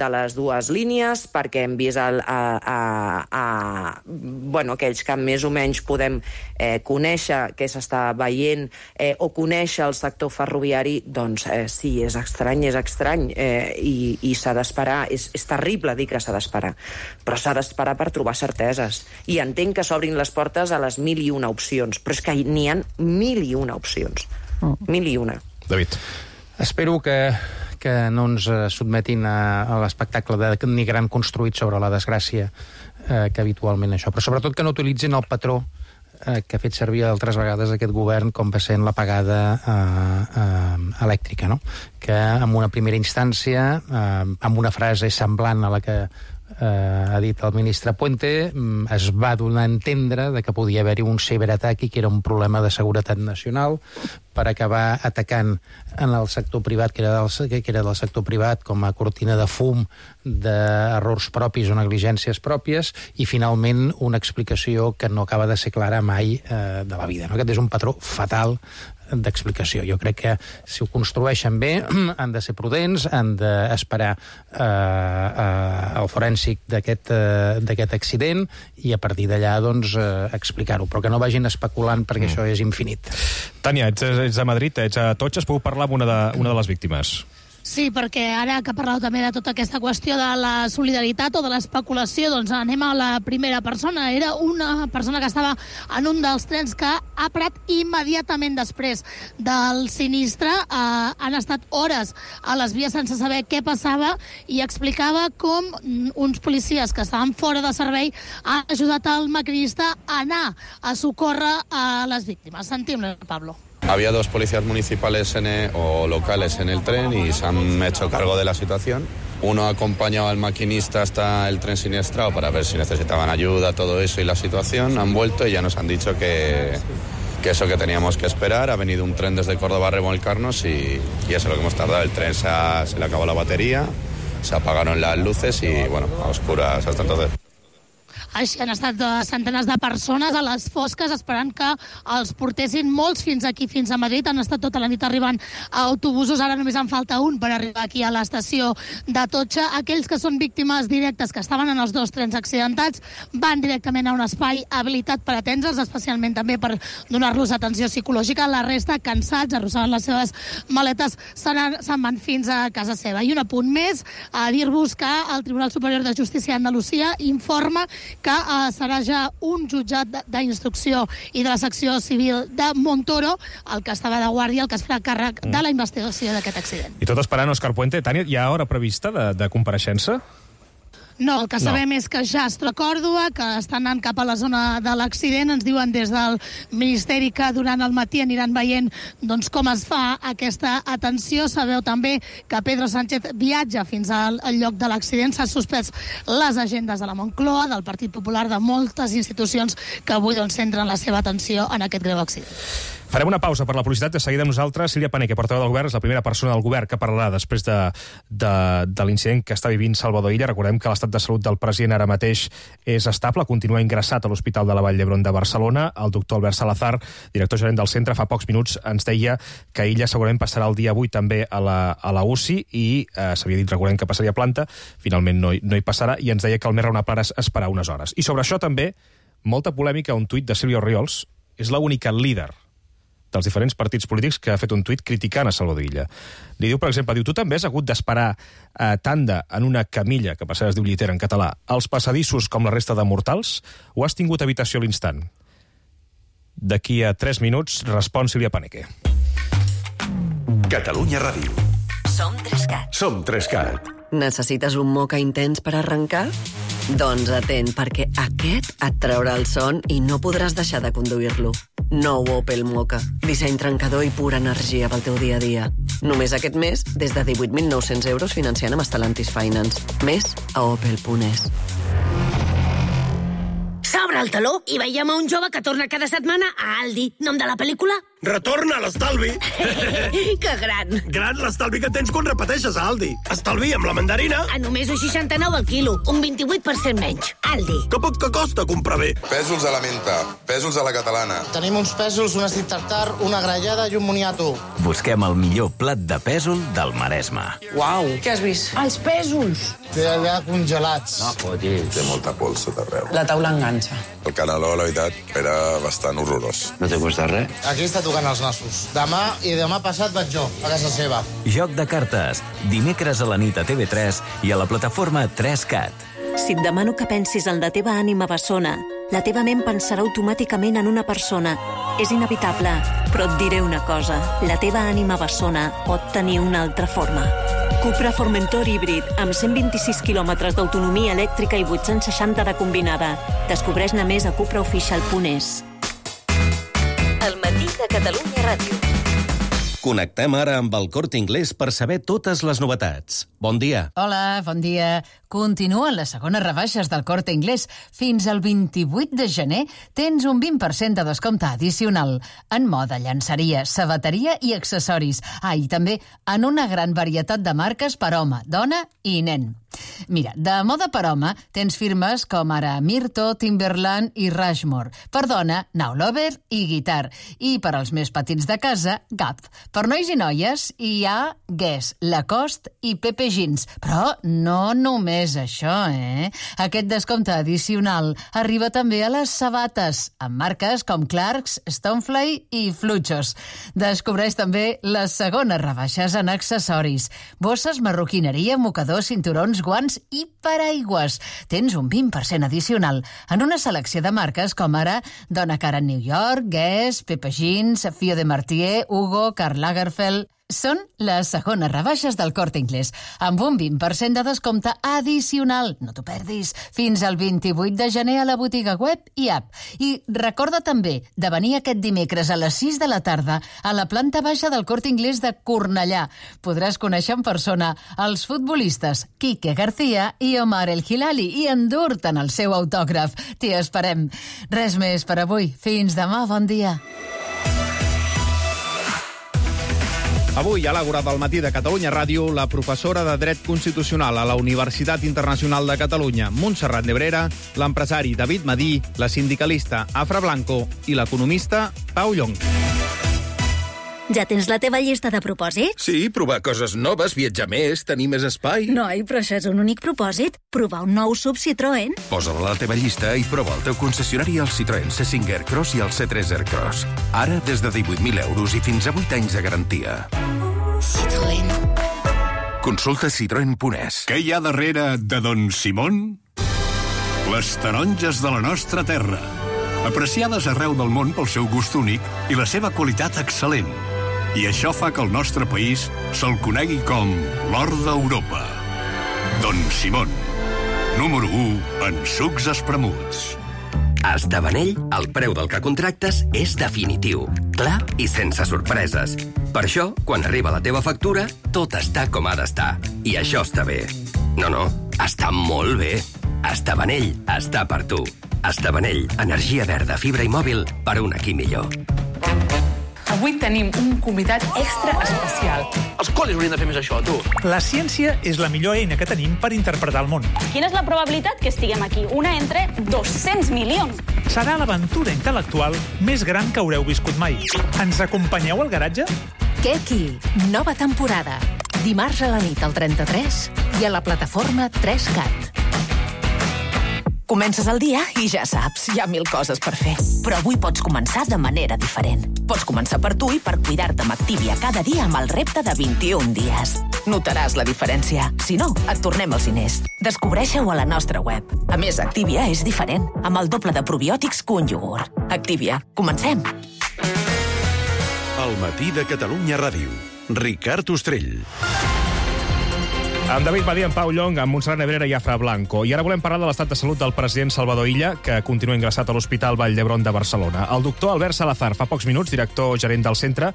les dues línies, perquè hem vist aquells que més o menys podem conèixer què s'està veient o conèixer el sector ferroviari, doncs sí, és estrany, i s'ha d'esperar. És terrible dir que s'ha d'esperar, però s'ha d'esperar per trobar certeses. I entenc que s'obrin les portes a les 1001 opcions, però és que n'hi ha 1001 opcions. 1001. David. Espero que no ens sotmetin a l'espectacle de Nigram construït sobre la desgràcia que habitualment això. Però sobretot que no utilitzin el patró que ha fet servir altres vegades aquest govern, com va ser en l'apagada elèctrica, no? Que en una primera instància, amb una frase semblant a la que ha dit el ministre Puente, es va donar a entendre que podia haver-hi un ciberatac i que era un problema de seguretat nacional, per acabar atacant en el sector privat, que era del sector privat, com a cortina de fum d'errors propis o negligències pròpies, i finalment una explicació que no acaba de ser clara mai de la vida. Aquest és un patró fatal d'explicació. Jo crec que si ho construeixen bé han de ser prudents, han d'esperar el forènsic d'aquest accident i a partir d'allà doncs, explicar-ho, però que no vagin especulant perquè això és infinit. Tània, ets a Madrid, ets a Totxes, podeu parlar amb una de les víctimes? Sí, perquè ara que parleu també de tota aquesta qüestió de la solidaritat o de l'especulació, doncs anem a la primera persona. Era una persona que estava en un dels trens que ha parat immediatament després del sinistre. Han estat hores a les vies sense saber què passava i explicava com uns policies que estaven fora de servei han ajudat el maquinista a anar a socórrer a les víctimes. Sentim-lo, Pablo. Había dos policías municipales o locales en el tren y se han hecho cargo de la situación. Uno ha acompañado al maquinista hasta el tren siniestrado para ver si necesitaban ayuda, todo eso y la situación. Han vuelto y ya nos han dicho que eso que teníamos que esperar. Ha venido un tren desde Córdoba a remolcarnos y eso es lo que hemos tardado. El tren se le acabó la batería, se apagaron las luces y, bueno, a oscuras hasta entonces. Així han estat centenars de persones a les fosques esperant que els portessin, molts fins aquí, fins a Madrid. Han estat tota la nit arribant a autobusos, ara només en falta un per arribar aquí a l'estació d'Atocha. Aquells que són víctimes directes, que estaven en els dos trens accidentats, van directament a un espai habilitat per atendre'ls, especialment també per donar-los atenció psicològica. La resta, cansats, arrossegant les seves maletes, se'n van fins a casa seva. I un apunt més, a dir-vos que el Tribunal Superior de Justícia d'Andalusia informa que serà ja un jutjat d'instrucció i de la secció civil de Montoro el que estava de guàrdia, el que es farà càrrec de la investigació d'aquest accident. I tot esperant Òscar Puente. Tània, hi ha hora prevista de compareixença? No, el que sabem és que ja es troba a Còrdova, que estan anant cap a la zona de l'accident. Ens diuen des del Ministeri que durant el matí aniran veient doncs, com es fa aquesta atenció. Sabeu també que Pedro Sánchez viatja fins al lloc de l'accident. S'han suspès les agendes de la Moncloa, del Partit Popular, de moltes institucions que avui doncs, centren la seva atenció en aquest greu accident. Farem una pausa per la publicitat. De seguida amb nosaltres, Sílvia Paneque, portaveu del govern, és la primera persona del govern que parlarà després de l'incident que està vivint Salvador Illa. Recordem que l'estat de salut del president ara mateix és estable, continua ingressat a l'Hospital de la Vall d'Hebron de Barcelona. El doctor Albert Salazar, director gerent del centre, fa pocs minuts ens deia que Illa segurament passarà el dia avui també a la UCI i s'havia dit, recordem, que passaria a planta. Finalment no hi passarà i ens deia que el més raonable és esperar unes hores. I sobre això també, molta polèmica, un tuit de Silvio Oriols. És l'única líder dels diferents partits polítics que ha fet un tuit criticant a Salvador Illa. Li diu, per exemple, tu també has hagut d'esperar tanda en una camilla, que per cert es diu llitera en català, als passadissos com la resta de mortals, o has tingut habitació a l'instant? D'aquí a 3 minuts respon Sílvia Paneque. Catalunya Ràdio. Som 3CAT. Som 3CAT. Necessites un moca intens per arrencar? Doncs atent, perquè aquest et traurà el son i no podràs deixar de conduir-lo. Nou Opel Moka. Disseny trencador i pura energia pel teu dia a dia. Només aquest mes, des de 18.900 euros financiant amb Stellantis Finance. Més a opel.es. S'obre el teló i veiem a un jove que torna cada setmana a Aldi. Nom de la pel·lícula? Retorna l'estalvi! Que gran! Gran l'estalvi que tens quan repeteixes a Aldi. Estalvi amb la mandarina. A només 1,69 al quilo, un 28% menys. Aldi. Que poc que costa comprar bé. Pèsols a la menta, pèsols a la catalana. Tenim uns pèsols, un estit tartar, una grallada i un moniato. Busquem el millor plat de pèsol del Maresme. Uau! Què has vist? Els pèsols! Té allà congelats. No fotis. Té molta pols sota arreu. La taula enganxa. El caneló, la veritat, era bastant horrorós. No te cuesta res? Aquí està tocant els nassos. Demà i demà passat vaig jo, a casa seva. Joc de cartes. Dimecres a la nit a TV3 i a la plataforma 3CAT. Si et demano que pensis en la teva ànima bessona, la teva ment pensarà automàticament en una persona. És inevitable, però et diré una cosa. La teva ànima bessona pot tenir una altra forma. Cupra Formentor híbrid, amb 126 quilòmetres d'autonomia elèctrica i 860 de combinada. Descobreix-ne més a cupraofficial.es. El matí de Catalunya Ràdio. Connectem ara amb el Corte Inglés per saber totes les novetats. Bon dia. Hola, bon dia. Continuen les segones rebaixes del Corte Inglés. Fins al 28 de gener tens un 20% de descompte addicional en moda, llançaria, sabateria i accessoris. I també en una gran varietat de marques per home, dona i nen. Mira, de moda per home tens firmes com ara Myrto, Timberland i Rushmore. Per dona, Now Lover i Guitar. I per als més petits de casa, Gap. Per nois i noies hi ha Guess, Lacoste i Pepe Jeans. Però no només això, Aquest descompte addicional arriba també a les sabates, amb marques com Clarks, Stonefly i Fluchos. Descobreix també les segones rebaixes en accessoris. Bosses, marroquineria, mocadors, cinturons, guants i paraigües. Tens un 20% addicional en una selecció de marques com ara Donna Karan New York, Guess, Pepe Jeans, Fio de Martier, Hugo, Karl Lagerfeld... Són les segones rebaixes del Corte Inglés, amb un 20% de descompte addicional. No t'ho perdis. Fins al 28 de gener a la botiga web i app. I recorda també de venir aquest dimecres a les 6 de la tarda a la planta baixa del Corte Inglés de Cornellà. Podràs conèixer en persona els futbolistes Quique García i Omar El Hilali i endur-te'n el seu autògraf. T'hi esperem. Res més per avui. Fins demà. Bon dia. Avui, a l'Àgora del matí de Catalunya Ràdio, la professora de Dret Constitucional a la Universitat Internacional de Catalunya, Montserrat Nebrera, l'empresari David Madí, la sindicalista Afra Blanco i l'economista Pau Llong. Ja tens la teva llista de propòsits? Sí, provar coses noves, viatjar més, tenir més espai. Noi, però això és un únic propòsit. Provar un nou SUV Citroën. Posa-la a la teva llista i prova el teu concessionari al Citroën C5 Aircross i el C3 Aircross. Ara des de 18.000 euros i fins a 8 anys de garantia. Citroën. Consulta citroen.es. Què hi ha darrere de Don Simón? Les taronges de la nostra terra. Apreciades arreu del món pel seu gust únic i la seva qualitat excel·lent. I això fa que el nostre país se'l conegui com l'or d'Europa. Don Simón, número 1 en sucs espremuts. A Estavanell, el preu del que contractes és definitiu, clar i sense sorpreses. Per això, quan arriba la teva factura, tot està com ha d'estar. I això està bé. No, està molt bé. Estavanell està per tu. Estavanell, energia verda, fibra i mòbil per un aquí millor. Avui tenim un convidat extra especial. Els col·legis haurien de fer més això, tu. La ciència és la millor eina que tenim per interpretar el món. Quina és la probabilitat que estiguem aquí? Una entre 200 milions. Serà l'aventura intel·lectual més gran que haureu viscut mai. Ens acompanyeu al garatge? Keki, nova temporada. Dimarts a la nit al 33 i a la plataforma 3CAT. Comences el dia i ja saps, hi ha 1000 coses per fer. Però avui pots començar de manera diferent. Pots començar per tu i per cuidar-te amb Activia cada dia amb el repte de 21 dies. Notaràs la diferència. Si no, et tornem els diners. Descobreixeu a la nostra web. A més, Activia és diferent, amb el doble de probiòtics que un iogurt. Activia. Comencem. El matí de Catalunya Ràdio. Ricard Ostrell. Amb David Madí, en Pau Llong, amb Montserrat Nebrera i Afra Blanco. I ara volem parlar de l'estat de salut del president Salvador Illa, que continua ingressat a l'Hospital Vall d'Hebron de Barcelona. El doctor Albert Salazar, fa pocs minuts, director gerent del centre,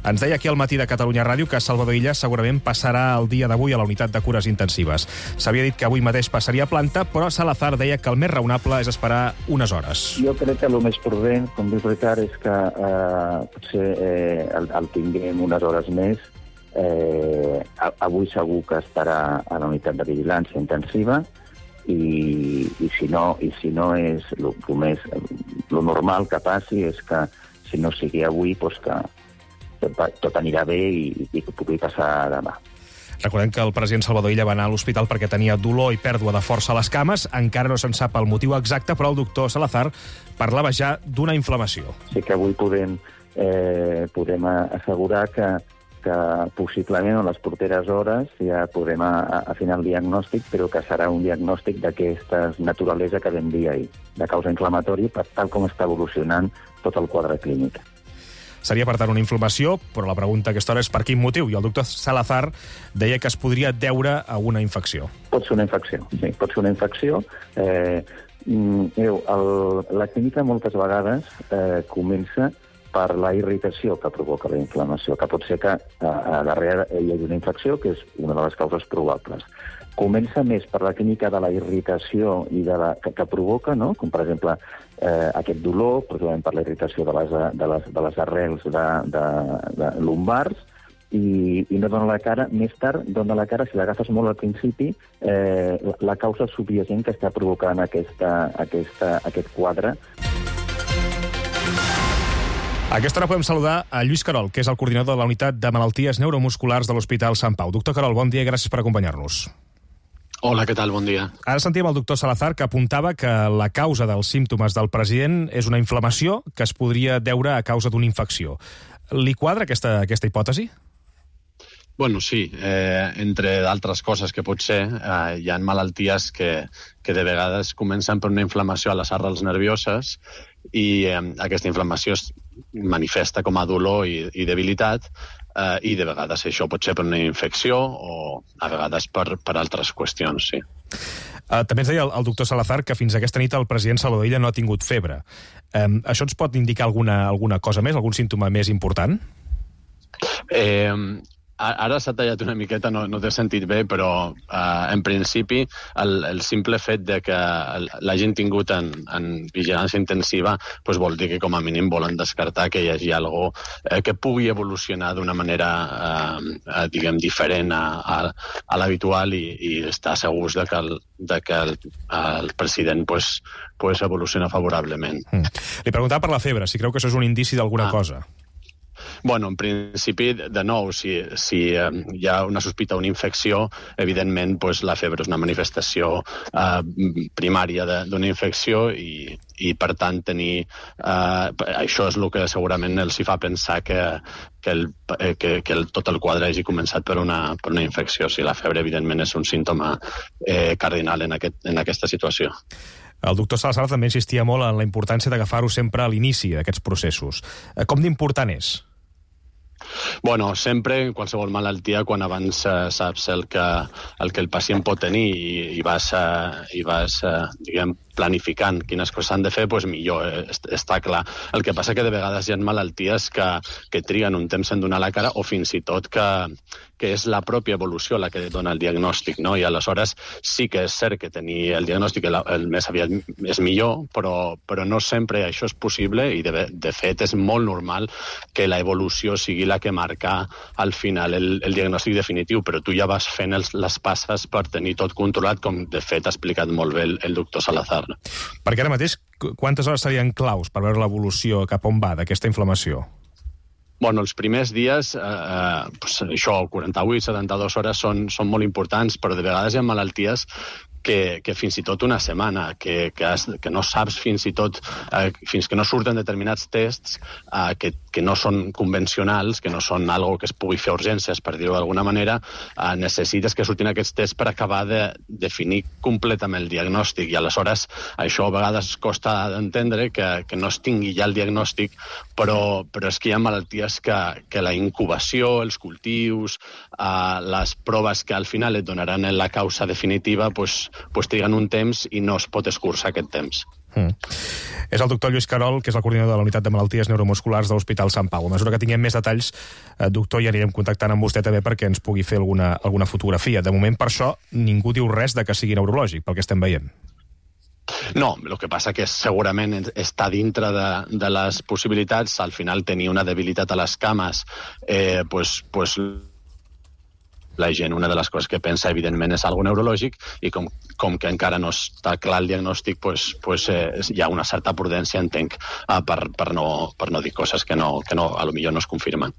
ens deia aquí al matí de Catalunya Ràdio que Salvador Illa segurament passarà el dia d'avui a la unitat de cures intensives. S'havia dit que avui mateix passaria a planta, però Salazar deia que el més raonable és esperar unes hores. Jo crec que el més prudent, com diu Ricard, és que potser el tinguem unes hores més. Avui segur que estarà a la unitat de vigilància intensiva i si no és lo normal que passi és que si no sigui avui doncs que tot anirà bé i que pugui passar demà. Recordem que el president Salvador Illa va anar a l'hospital perquè tenia dolor i pèrdua de força a les cames. Encara no se'n sap el motiu exacte, però el doctor Salazar parlava ja d'una inflamació. Sí que avui podem assegurar que possiblement en les properes hores ja podrem afinar el diagnòstic, però que serà un diagnòstic d'aquesta naturalesa que vam dir ahir, de causa inflamatòria, per tal com està evolucionant tot el quadre clínic. Seria, per tant, una inflamació, però la pregunta a aquesta hora és per quin motiu. I el doctor Salazar deia que es podria deure a una infecció. Pot ser una infecció, sí, pot ser una infecció. La clínica moltes vegades comença per la irritació que provoca la inflamació, que pot ser que darrere hi hagi una infecció, que és una de les causes probables. Comença més per la clínica de la irritació i que provoca, no? Com per exemple aquest dolor, possiblement per la irritació de les arrels de lumbars, i no dona la cara. Més tard dona la cara, si l'agafes molt al principi, la causa subyacent que està provocant aquest quadre. A aquesta hora podem saludar a Lluís Carol, que és el coordinador de la Unitat de Malalties Neuromusculars de l'Hospital Sant Pau. Doctor Carol, bon dia i gràcies per acompanyar-nos. Hola, què tal? Bon dia. Ara sentíem el doctor Salazar, que apuntava que la causa dels símptomes del president és una inflamació que es podria deure a causa d'una infecció. Li quadra aquesta hipòtesi? Bueno, sí. Entre d'altres coses que pot ser, hi ha malalties que de vegades comencen per una inflamació a les arrels nervioses i aquesta inflamació es manifesta com a dolor i debilitat, i de vegades això pot ser per una infecció o a vegades per altres qüestions, sí. També ens deia el doctor Salazar que fins aquesta nit el president Salvador Illa no ha tingut febre. Això ens pot indicar alguna cosa més, algun símptoma més important? Ara s'ha tallat una miqueta, no t'he sentit bé, però en principi el simple fet de que l'hagin tingut en vigilància intensiva vol dir que com a mínim volen descartar que hi hagi alguna que pugui evolucionar d'una manera diguem diferent a l'habitual i estar segurs de que el president evoluciona favorablement. Li preguntava per la febre, si creu que això és un indici d'alguna cosa. Bueno, en principi, de nou, si hi ha una sospita d'una infecció, evidentment la febre és una manifestació primària d'una infecció i per tant, això és el que segurament els hi fa pensar que tot el quadre hagi començat per una infecció. Si la febre, evidentment, és un símptoma cardinal en aquesta situació. El doctor Salazar també insistia molt en la importància d'agafar-ho sempre a l'inici d'aquests processos. Com d'important és? Bueno, sempre, en qualsevol malaltia, quan abans saps el que el pacient pot tenir i vas diguem, planificant quines coses s'han de fer, millor, està clar. El que passa que de vegades hi ha malalties que triguen un temps en donar la cara o fins i tot que és la pròpia evolució la que dona el diagnòstic, no? I aleshores sí que és cert que tenir el diagnòstic el més aviat és millor, però no sempre això és possible i de fet és molt normal que la evolució sigui la que marca al final el diagnòstic definitiu, però tu ja vas fent les passes per tenir tot controlat, com de fet ha explicat molt bé el doctor Salazar. Perquè ara mateix, quantes hores serien claus per veure l'evolució cap on va d'aquesta inflamació? Bueno, els primers dies, això, 48, 72 hores són molt importants, però de vegades hi ha malalties que fins i tot una setmana, que no saps fins i tot, fins que no surten determinats tests que no són convencionals, que no són algo que es pugui fer urgències, per dir-ho d'alguna manera, necessites que surtin aquests tests per acabar de definir completament el diagnòstic i aleshores això a vegades costa d'entendre que no es tingui ja el diagnòstic, però és que hi ha malalties que la incubació, els cultius, les proves que al final et donaran la causa definitiva, triguen un temps i no es pot escurçar aquest temps. És el doctor Lluís Carol, que és el coordinador de la Unitat de Malalties Neuromusculars de l'Hospital Sant Pau. A mesura que tinguem més detalls, doctor, ja anirem contactant amb vostè també perquè ens pugui fer alguna fotografia. De moment, per això, ningú diu res de que sigui neurològic, pel que estem veient. No, el que passa que segurament està dintre de les possibilitats. Al final, tenir una debilitat a les cames, la gent, una de les coses que pensa, evidentment, és algo neurològic i com que encara no està clar el diagnòstic, hi ha una certa prudència, entenc, per no dir coses que a lo millor no es confirmen.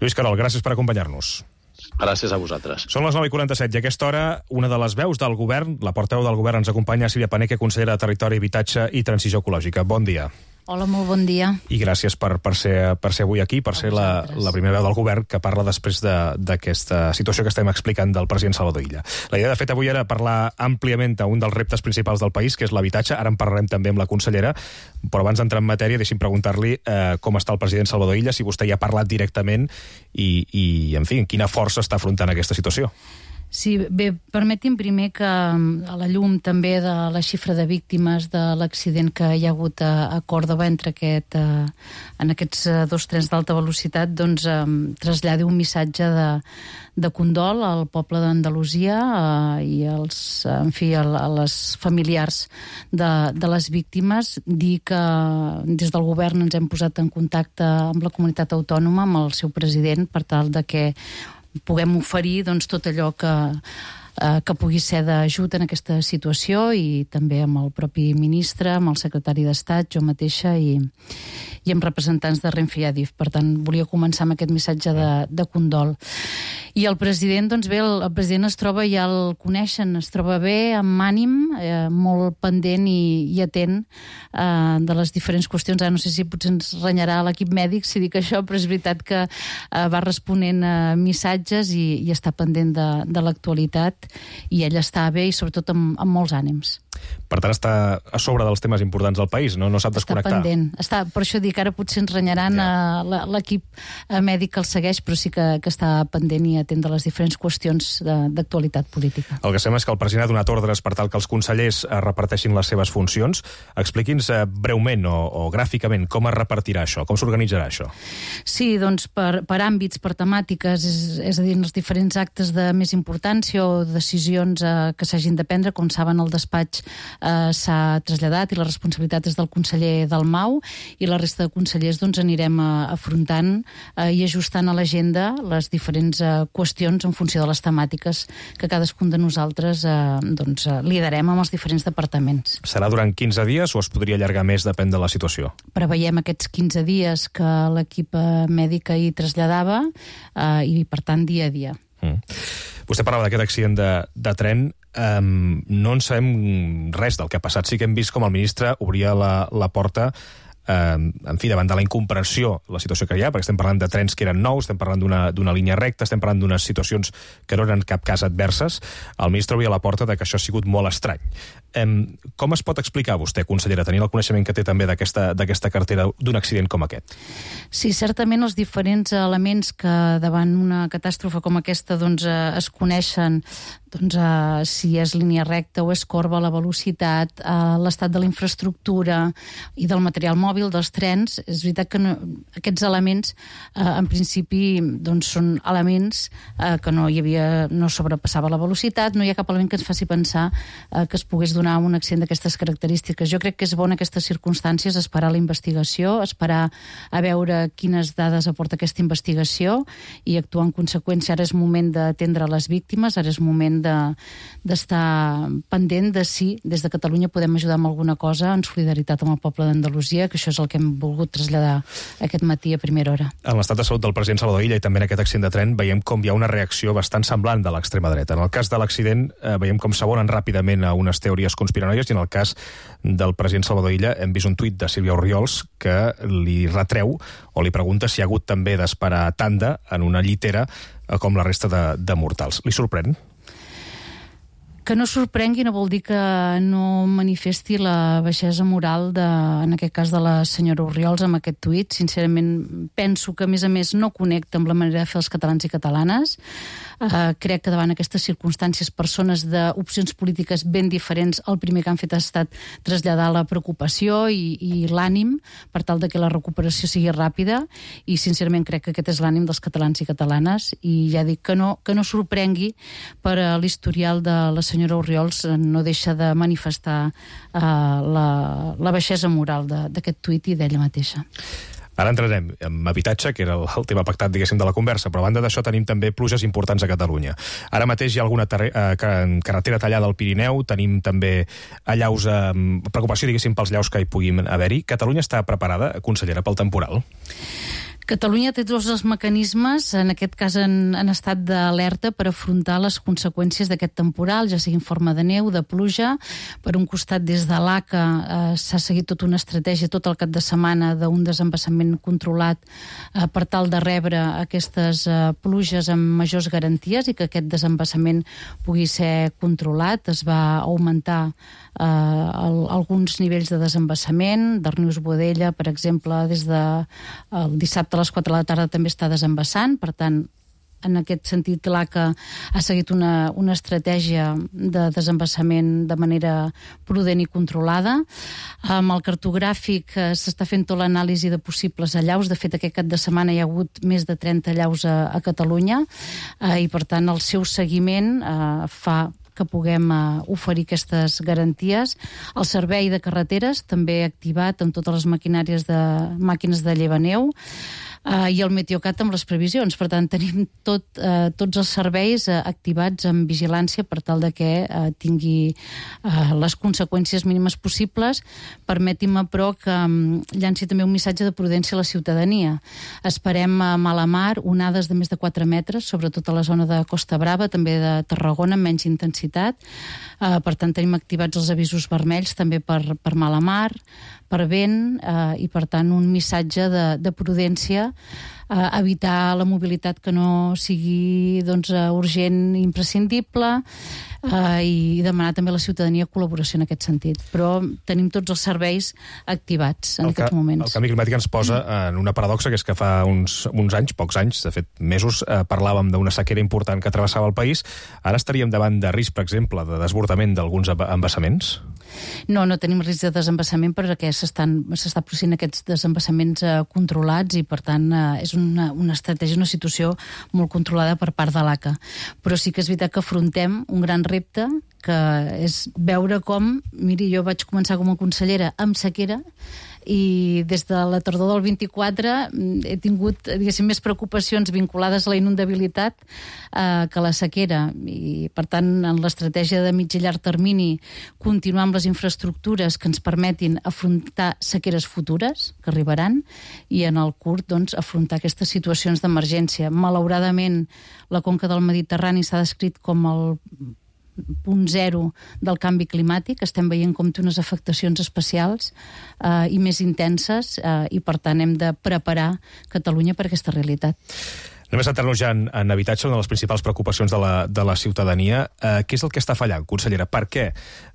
Lluís Carol, gràcies per acompanyar-nos. Gràcies a vosaltres. Són les 9:47 i a aquesta hora una de les veus del govern, la portaveu del govern, ens acompanya, Sílvia Paneque, consellera de Territori, Habitatge i Transició Ecològica. Bon dia. Hola, molt bon dia. I gràcies per ser avui aquí, per ser la primera veu del govern que parla després d'aquesta situació que estem explicant del president Salvador Illa. La idea, de fet, avui era parlar àmpliament d'un dels reptes principals del país, que és l'habitatge. Ara en parlarem també amb la consellera, però abans d'entrar en matèria, deixi'm preguntar-li com està el president Salvador Illa, si vostè hi ha parlat directament i en fi, quina força està afrontant aquesta situació. Sí, bé, permeti'm primer que a la llum també de la xifra de víctimes de l'accident que hi ha hagut a Còrdova en aquests dos trens d'alta velocitat, doncs traslladi un missatge de condol al poble d'Andalusia i a les familiars de les víctimes. Dir que des del govern ens hem posat en contacte amb la comunitat autònoma, amb el seu president, per tal de que puguem oferir tot allò que pugui ser d'ajut en aquesta situació, i també amb el propi ministre, amb el secretari d'Estat, jo mateixa i amb representants de Renfe i Adif. Per tant, volia començar amb aquest missatge de condol. I el president, doncs bé, el president es troba, ja el coneixen, es troba bé, amb ànim, molt pendent i atent de les diferents qüestions. Ara no sé si potser ens renyarà l'equip mèdic si dic això, però és veritat que va responent a missatges i està pendent de l'actualitat, i ell està bé i sobretot amb molts ànims. Per tant, està a sobre dels temes importants del país, no sap desconnectar. Està pendent. Per això dic, ara potser ens renyaran l'equip mèdic que el segueix, però sí que està pendent i atent de les diferents qüestions d'actualitat política. El que sembla és que el president ha donat ordres per tal que els consellers reparteixin les seves funcions. Expliqui'ns breument o gràficament com es repartirà això, com s'organitzarà això. Sí, doncs per àmbits, per temàtiques, és a dir, en els diferents actes de més importància o decisions que s'hagin de prendre. Com saben, el despatx s'ha traslladat i la responsabilitat és del conseller Dalmau, i la resta de consellers doncs anirem afrontant i ajustant a l'agenda les diferents qüestions en funció de les temàtiques que cadascun de nosaltres liderem amb els diferents departaments. Serà durant 15 dies o es podria allargar més, depèn de la situació? Preveiem aquests 15 dies que l'equip mèdic hi traslladava i, per tant, dia a dia. Vostè parlava d'aquest accident de tren. No en sabem res del que ha passat. Sí que hem vist com el ministre obria la porta davant de la incomprensió, la situació que hi ha, perquè estem parlant de trens que eren nous, estem parlant d'una línia recta, estem parlant d'unes situacions que no eren en cap cas adverses. El ministre obria la porta de que això ha sigut molt estrany. Com es pot explicar vostè, consellera, tenint el coneixement que té també d'aquesta cartera, d'un accident com aquest? Sí, certament els diferents elements que davant una catàstrofe com aquesta es coneixen, si és línia recta o és corba, la velocitat, l'estat de la infraestructura i del material mòbil dels trens. És veritat que aquests elements en principi són elements que no sobrepassava la velocitat, no hi ha cap element que ens faci pensar que es pogués donar un accident d'aquestes característiques. Jo crec que és bo en aquestes circumstàncies esperar la investigació, esperar a veure quines dades aporta aquesta investigació i actuar en conseqüència. Ara és moment d'atendre les víctimes, ara és moment d'estar pendent de si des de Catalunya podem ajudar amb alguna cosa en solidaritat amb el poble d'Andalusia, que això és el que hem volgut traslladar aquest matí a primera hora. En l'estat de salut del president Salvador Illa i també en aquest accident de tren veiem com hi ha una reacció bastant semblant de l'extrema dreta. En el cas de l'accident veiem com s'abonen ràpidament a unes teories conspiranoies, i en el cas del president Salvador Illa hem vist un tuit de Sílvia Orriols que li retreu o li pregunta si ha hagut també d'esperar tanda en una llitera com la resta de mortals. Li sorprèn? Que no sorprengui no vol dir que no manifesti la baixesa moral en aquest cas de la senyora Orriols amb aquest tuit. Sincerament, penso que a més no connecta amb la manera de fer els catalans i catalanes. Crec que davant aquestes circumstàncies persones d'opcions polítiques ben diferents el primer que han fet ha estat traslladar la preocupació i l'ànim per tal de que la recuperació sigui ràpida, i sincerament crec que aquest és l'ànim dels catalans i catalanes, i ja dic que no sorprengui per l'historial de la senyora Orriols, no deixa de manifestar la baixesa moral d'aquest tuit i d'ella mateixa. Ara entrarem en habitatge, que era el tema pactat, diguéssim, de la conversa, però a banda d'això tenim també pluges importants a Catalunya. Ara mateix hi ha alguna carretera tallada al Pirineu, tenim també allaus, preocupació, diguéssim, pels llaus que hi puguin haver-hi. Catalunya està preparada, consellera, pel temporal? Catalunya té tots els mecanismes, en aquest cas en estat d'alerta, per afrontar les conseqüències d'aquest temporal, ja sigui en forma de neu, de pluja. Per un costat, des de l'ACA s'ha seguit tota una estratègia tot el cap de setmana d'un desembassament controlat per tal de rebre aquestes pluges amb majors garanties i que aquest desembassament pugui ser controlat. Es va augmentar alguns nivells de desembassament. Darnius-Boadella, per exemple, des del dissabte a les 4 de la tarda també està desembassant, per tant en aquest sentit, l'ACA ha seguit una estratègia de desembassament de manera prudent i controlada. Amb el cartogràfic s'està fent tota l'anàlisi de possibles allaus. De fet, aquest cap de setmana hi ha hagut més de 30 allaus a Catalunya i, per tant, el seu seguiment fa que puguem oferir aquestes garanties. El servei de carreteres també activat amb totes les màquines de llevaneu i el Meteocat amb les previsions. Per tant, tenim tots els serveis activats amb vigilància per tal de que tingui les conseqüències mínimes possibles. Permetin-me, però, que llanci també un missatge de prudència a la ciutadania. Esperem a Malamar onades de més de 4 metres, sobretot a la zona de Costa Brava, també de Tarragona, amb menys intensitat. Per tant, tenim activats els avisos vermells també per Malamar, per vent, i per tant un missatge de prudència, evitar la mobilitat que no sigui urgent i imprescindible, i demanar també a la ciutadania col·laboració en aquest sentit. Però tenim tots els serveis activats en aquests moments. El canvi climàtic ens posa en una paradoxa, que és que fa uns anys, pocs anys, de fet mesos, parlàvem d'una sequera important que travessava el país. Ara estaríem davant de risc, per exemple, de desbordament d'alguns embassaments? No tenim risc de desembassament perquè s'està processant aquests desembassaments controlats i, per tant, és una estratègia, una situació molt controlada per part de l'ACA. Però sí que és veritat que afrontem un gran repte, que és veure com, miri, jo vaig començar com a consellera amb sequera i des de la tardor del 24 he tingut, diguéssim, més preocupacions vinculades a la inundabilitat que a la sequera, i per tant en l'estratègia de mig i llarg termini continuar amb les infraestructures que ens permetin afrontar sequeres futures que arribaran, i en el curt afrontar aquestes situacions d'emergència. Malauradament la conca del Mediterrani s'ha descrit com el punt zero del canvi climàtic. Estem veient com té unes afectacions especials i més intenses, i per tant hem de preparar Catalunya per aquesta realitat. Anem a centrar-nos ja en habitatge, una de les principals preocupacions de la ciutadania. Què és el que està fallant, consellera? Per què,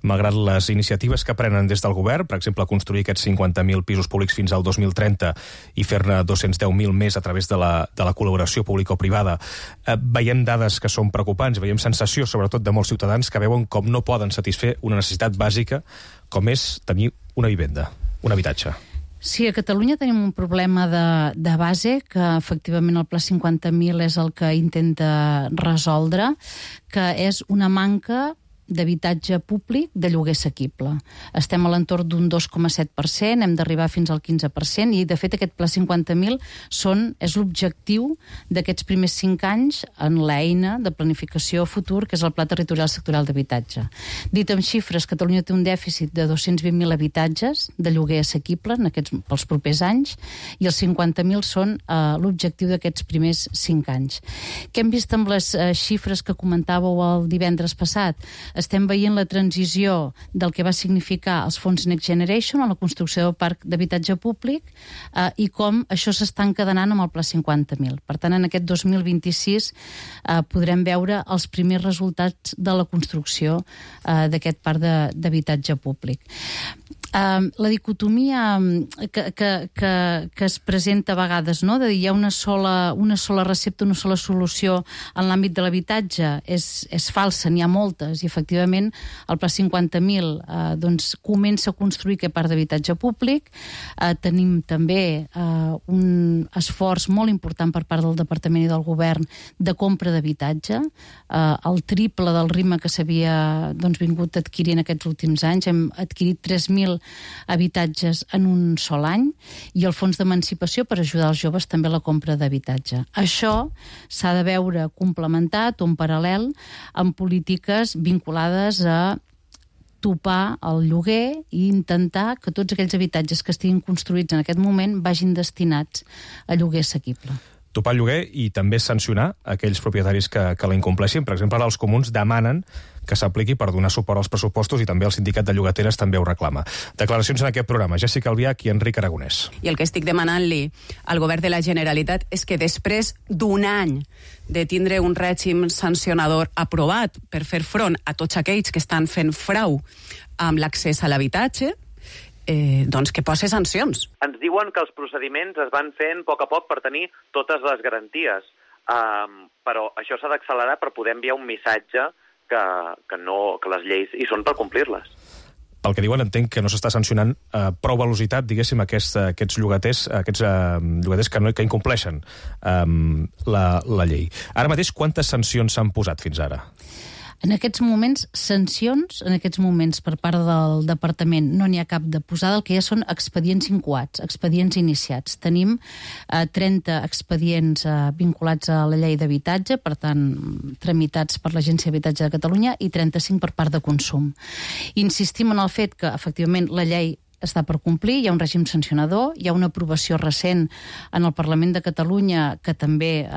malgrat les iniciatives que prenen des del govern, per exemple, construir aquests 50.000 pisos públics fins al 2030 i fer-ne 210.000 més a través de la col·laboració pública o privada, veiem dades que són preocupants, veiem sensació, sobretot de molts ciutadans, que veuen com no poden satisfer una necessitat bàsica com és tenir una vivenda, un habitatge? Sí, a Catalunya tenim un problema de base, que efectivament el Pla 50.000 és el que intenta resoldre, que és una manca d'habitatge públic de lloguer assequible. Estem a l'entorn d'un 2,7%, hem d'arribar fins al 15%, i de fet aquest Pla 50.000 és l'objectiu d'aquests primers 5 anys en l'eina de planificació futur, que és el Pla Territorial Sectorial d'Habitatge. Dit amb xifres, Catalunya té un dèficit de 220.000 habitatges de lloguer assequible pels propers anys, i els 50.000 són l'objectiu d'aquests primers 5 anys. Què hem vist amb les xifres que comentàveu el divendres passat? Estem veient la transició del que va significar els fons Next Generation a la construcció del parc d'habitatge públic, i com això s'està encadenant amb el Pla 50.000. Per tant, en aquest 2026 podrem veure els primers resultats de la construcció d'aquest parc d'habitatge públic. La dicotomia que es presenta a vegades, no? De dir hi ha una sola recepta, una sola solució en l'àmbit de l'habitatge, és falsa, n'hi ha moltes, i efectivament el Pla 50.000 comença a construir aquest parc d'habitatge públic. Tenim també un esforç molt important per part del Departament i del Govern de compra d'habitatge, el triple del ritme que s'havia vingut adquirint aquests últims anys. Hem adquirit 3.000 habitatges en un sol any, i el fons d'emancipació per ajudar els joves també a la compra d'habitatge. Això s'ha de veure complementat o en paral·lel amb polítiques vinculades a topar el lloguer i intentar que tots aquells habitatges que estiguin construïts en aquest moment vagin destinats a lloguer assequible. Topar el lloguer i també sancionar aquells propietaris que l'incompleixin. Per exemple, ara els comuns demanen que s'apliqui per donar suport als pressupostos, i també el sindicat de llogateres també ho reclama. Declaracions en aquest programa. Jessica Albiach i Enric Aragonès. I el que estic demanant-li al govern de la Generalitat és que després d'un any de tindre un règim sancionador aprovat per fer front a tots aquells que estan fent frau amb l'accés a l'habitatge, que posa sancions. Ens diuen que els procediments es van fent a poc per tenir totes les garanties. però això s'ha d'accelerar per poder enviar un missatge que les lleis hi són per complir-les. Pel que diuen, entenc que no s'està sancionant prou velocitat, diguéssim, aquests llogaters que incompleixen la llei. Ara mateix, quantes sancions s'han posat fins ara? En aquests moments, sancions, en aquests moments, per part del departament, no n'hi ha cap de posada, el que hi ha són expedients incoats, expedients iniciats. Tenim 30 expedients vinculats a la llei d'habitatge, per tant, tramitats per l'Agència d'Habitatge de Catalunya, i 35 per part de consum. Insistim en el fet que, efectivament, la llei està per complir, hi ha un règim sancionador, hi ha una aprovació recent en el Parlament de Catalunya que també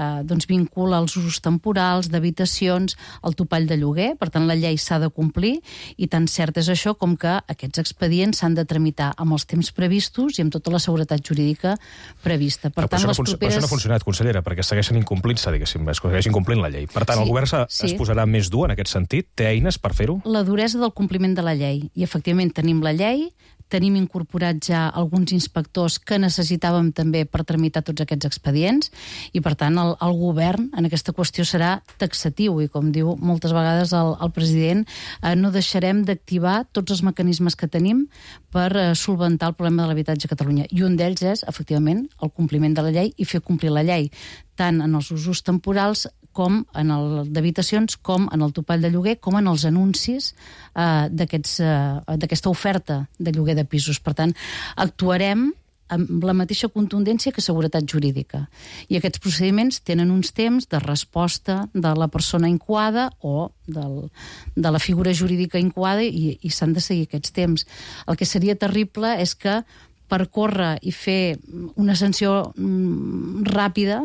vincula els usos temporals d'habitacions al topall de lloguer, per tant la llei s'ha de complir, i tan cert és això com que aquests expedients s'han de tramitar amb els temps previstos i amb tota la seguretat jurídica prevista. Per tant, això no ha funcionat, consellera, perquè segueixen incomplint-se, diguéssim, segueixin complint la llei. Per tant, el govern es posarà més dur en aquest sentit? Té eines per fer-ho? La duresa del compliment de la llei. I, efectivament, tenim la llei, tenim incorporats ja alguns inspectors que necessitàvem també per tramitar tots aquests expedients i, per tant, el govern en aquesta qüestió serà taxatiu i, com diu moltes vegades el president, no deixarem d'activar tots els mecanismes que tenim per solventar el problema de l'habitatge a Catalunya. I un d'ells és, efectivament, el compliment de la llei i fer complir la llei, tant en els usos temporals com en el d'habitacions, com en el topall de lloguer, com en els anuncis d'aquesta oferta de lloguer de pisos. Per tant, actuarem amb la mateixa contundència que seguretat jurídica. I aquests procediments tenen uns temps de resposta de la persona incoada o de la figura jurídica incoada i s'han de seguir aquests temps. El que seria terrible és que per córrer i fer una sanció ràpida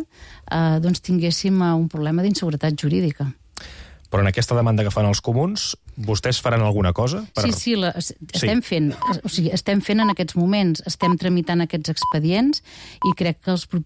tinguéssim un problema d'inseguretat jurídica. Però en aquesta demanda que fan els comuns, vostès faran alguna cosa? Sí, estem fent. O sigui, estem fent en aquests moments, estem tramitant aquests expedients i crec que els propers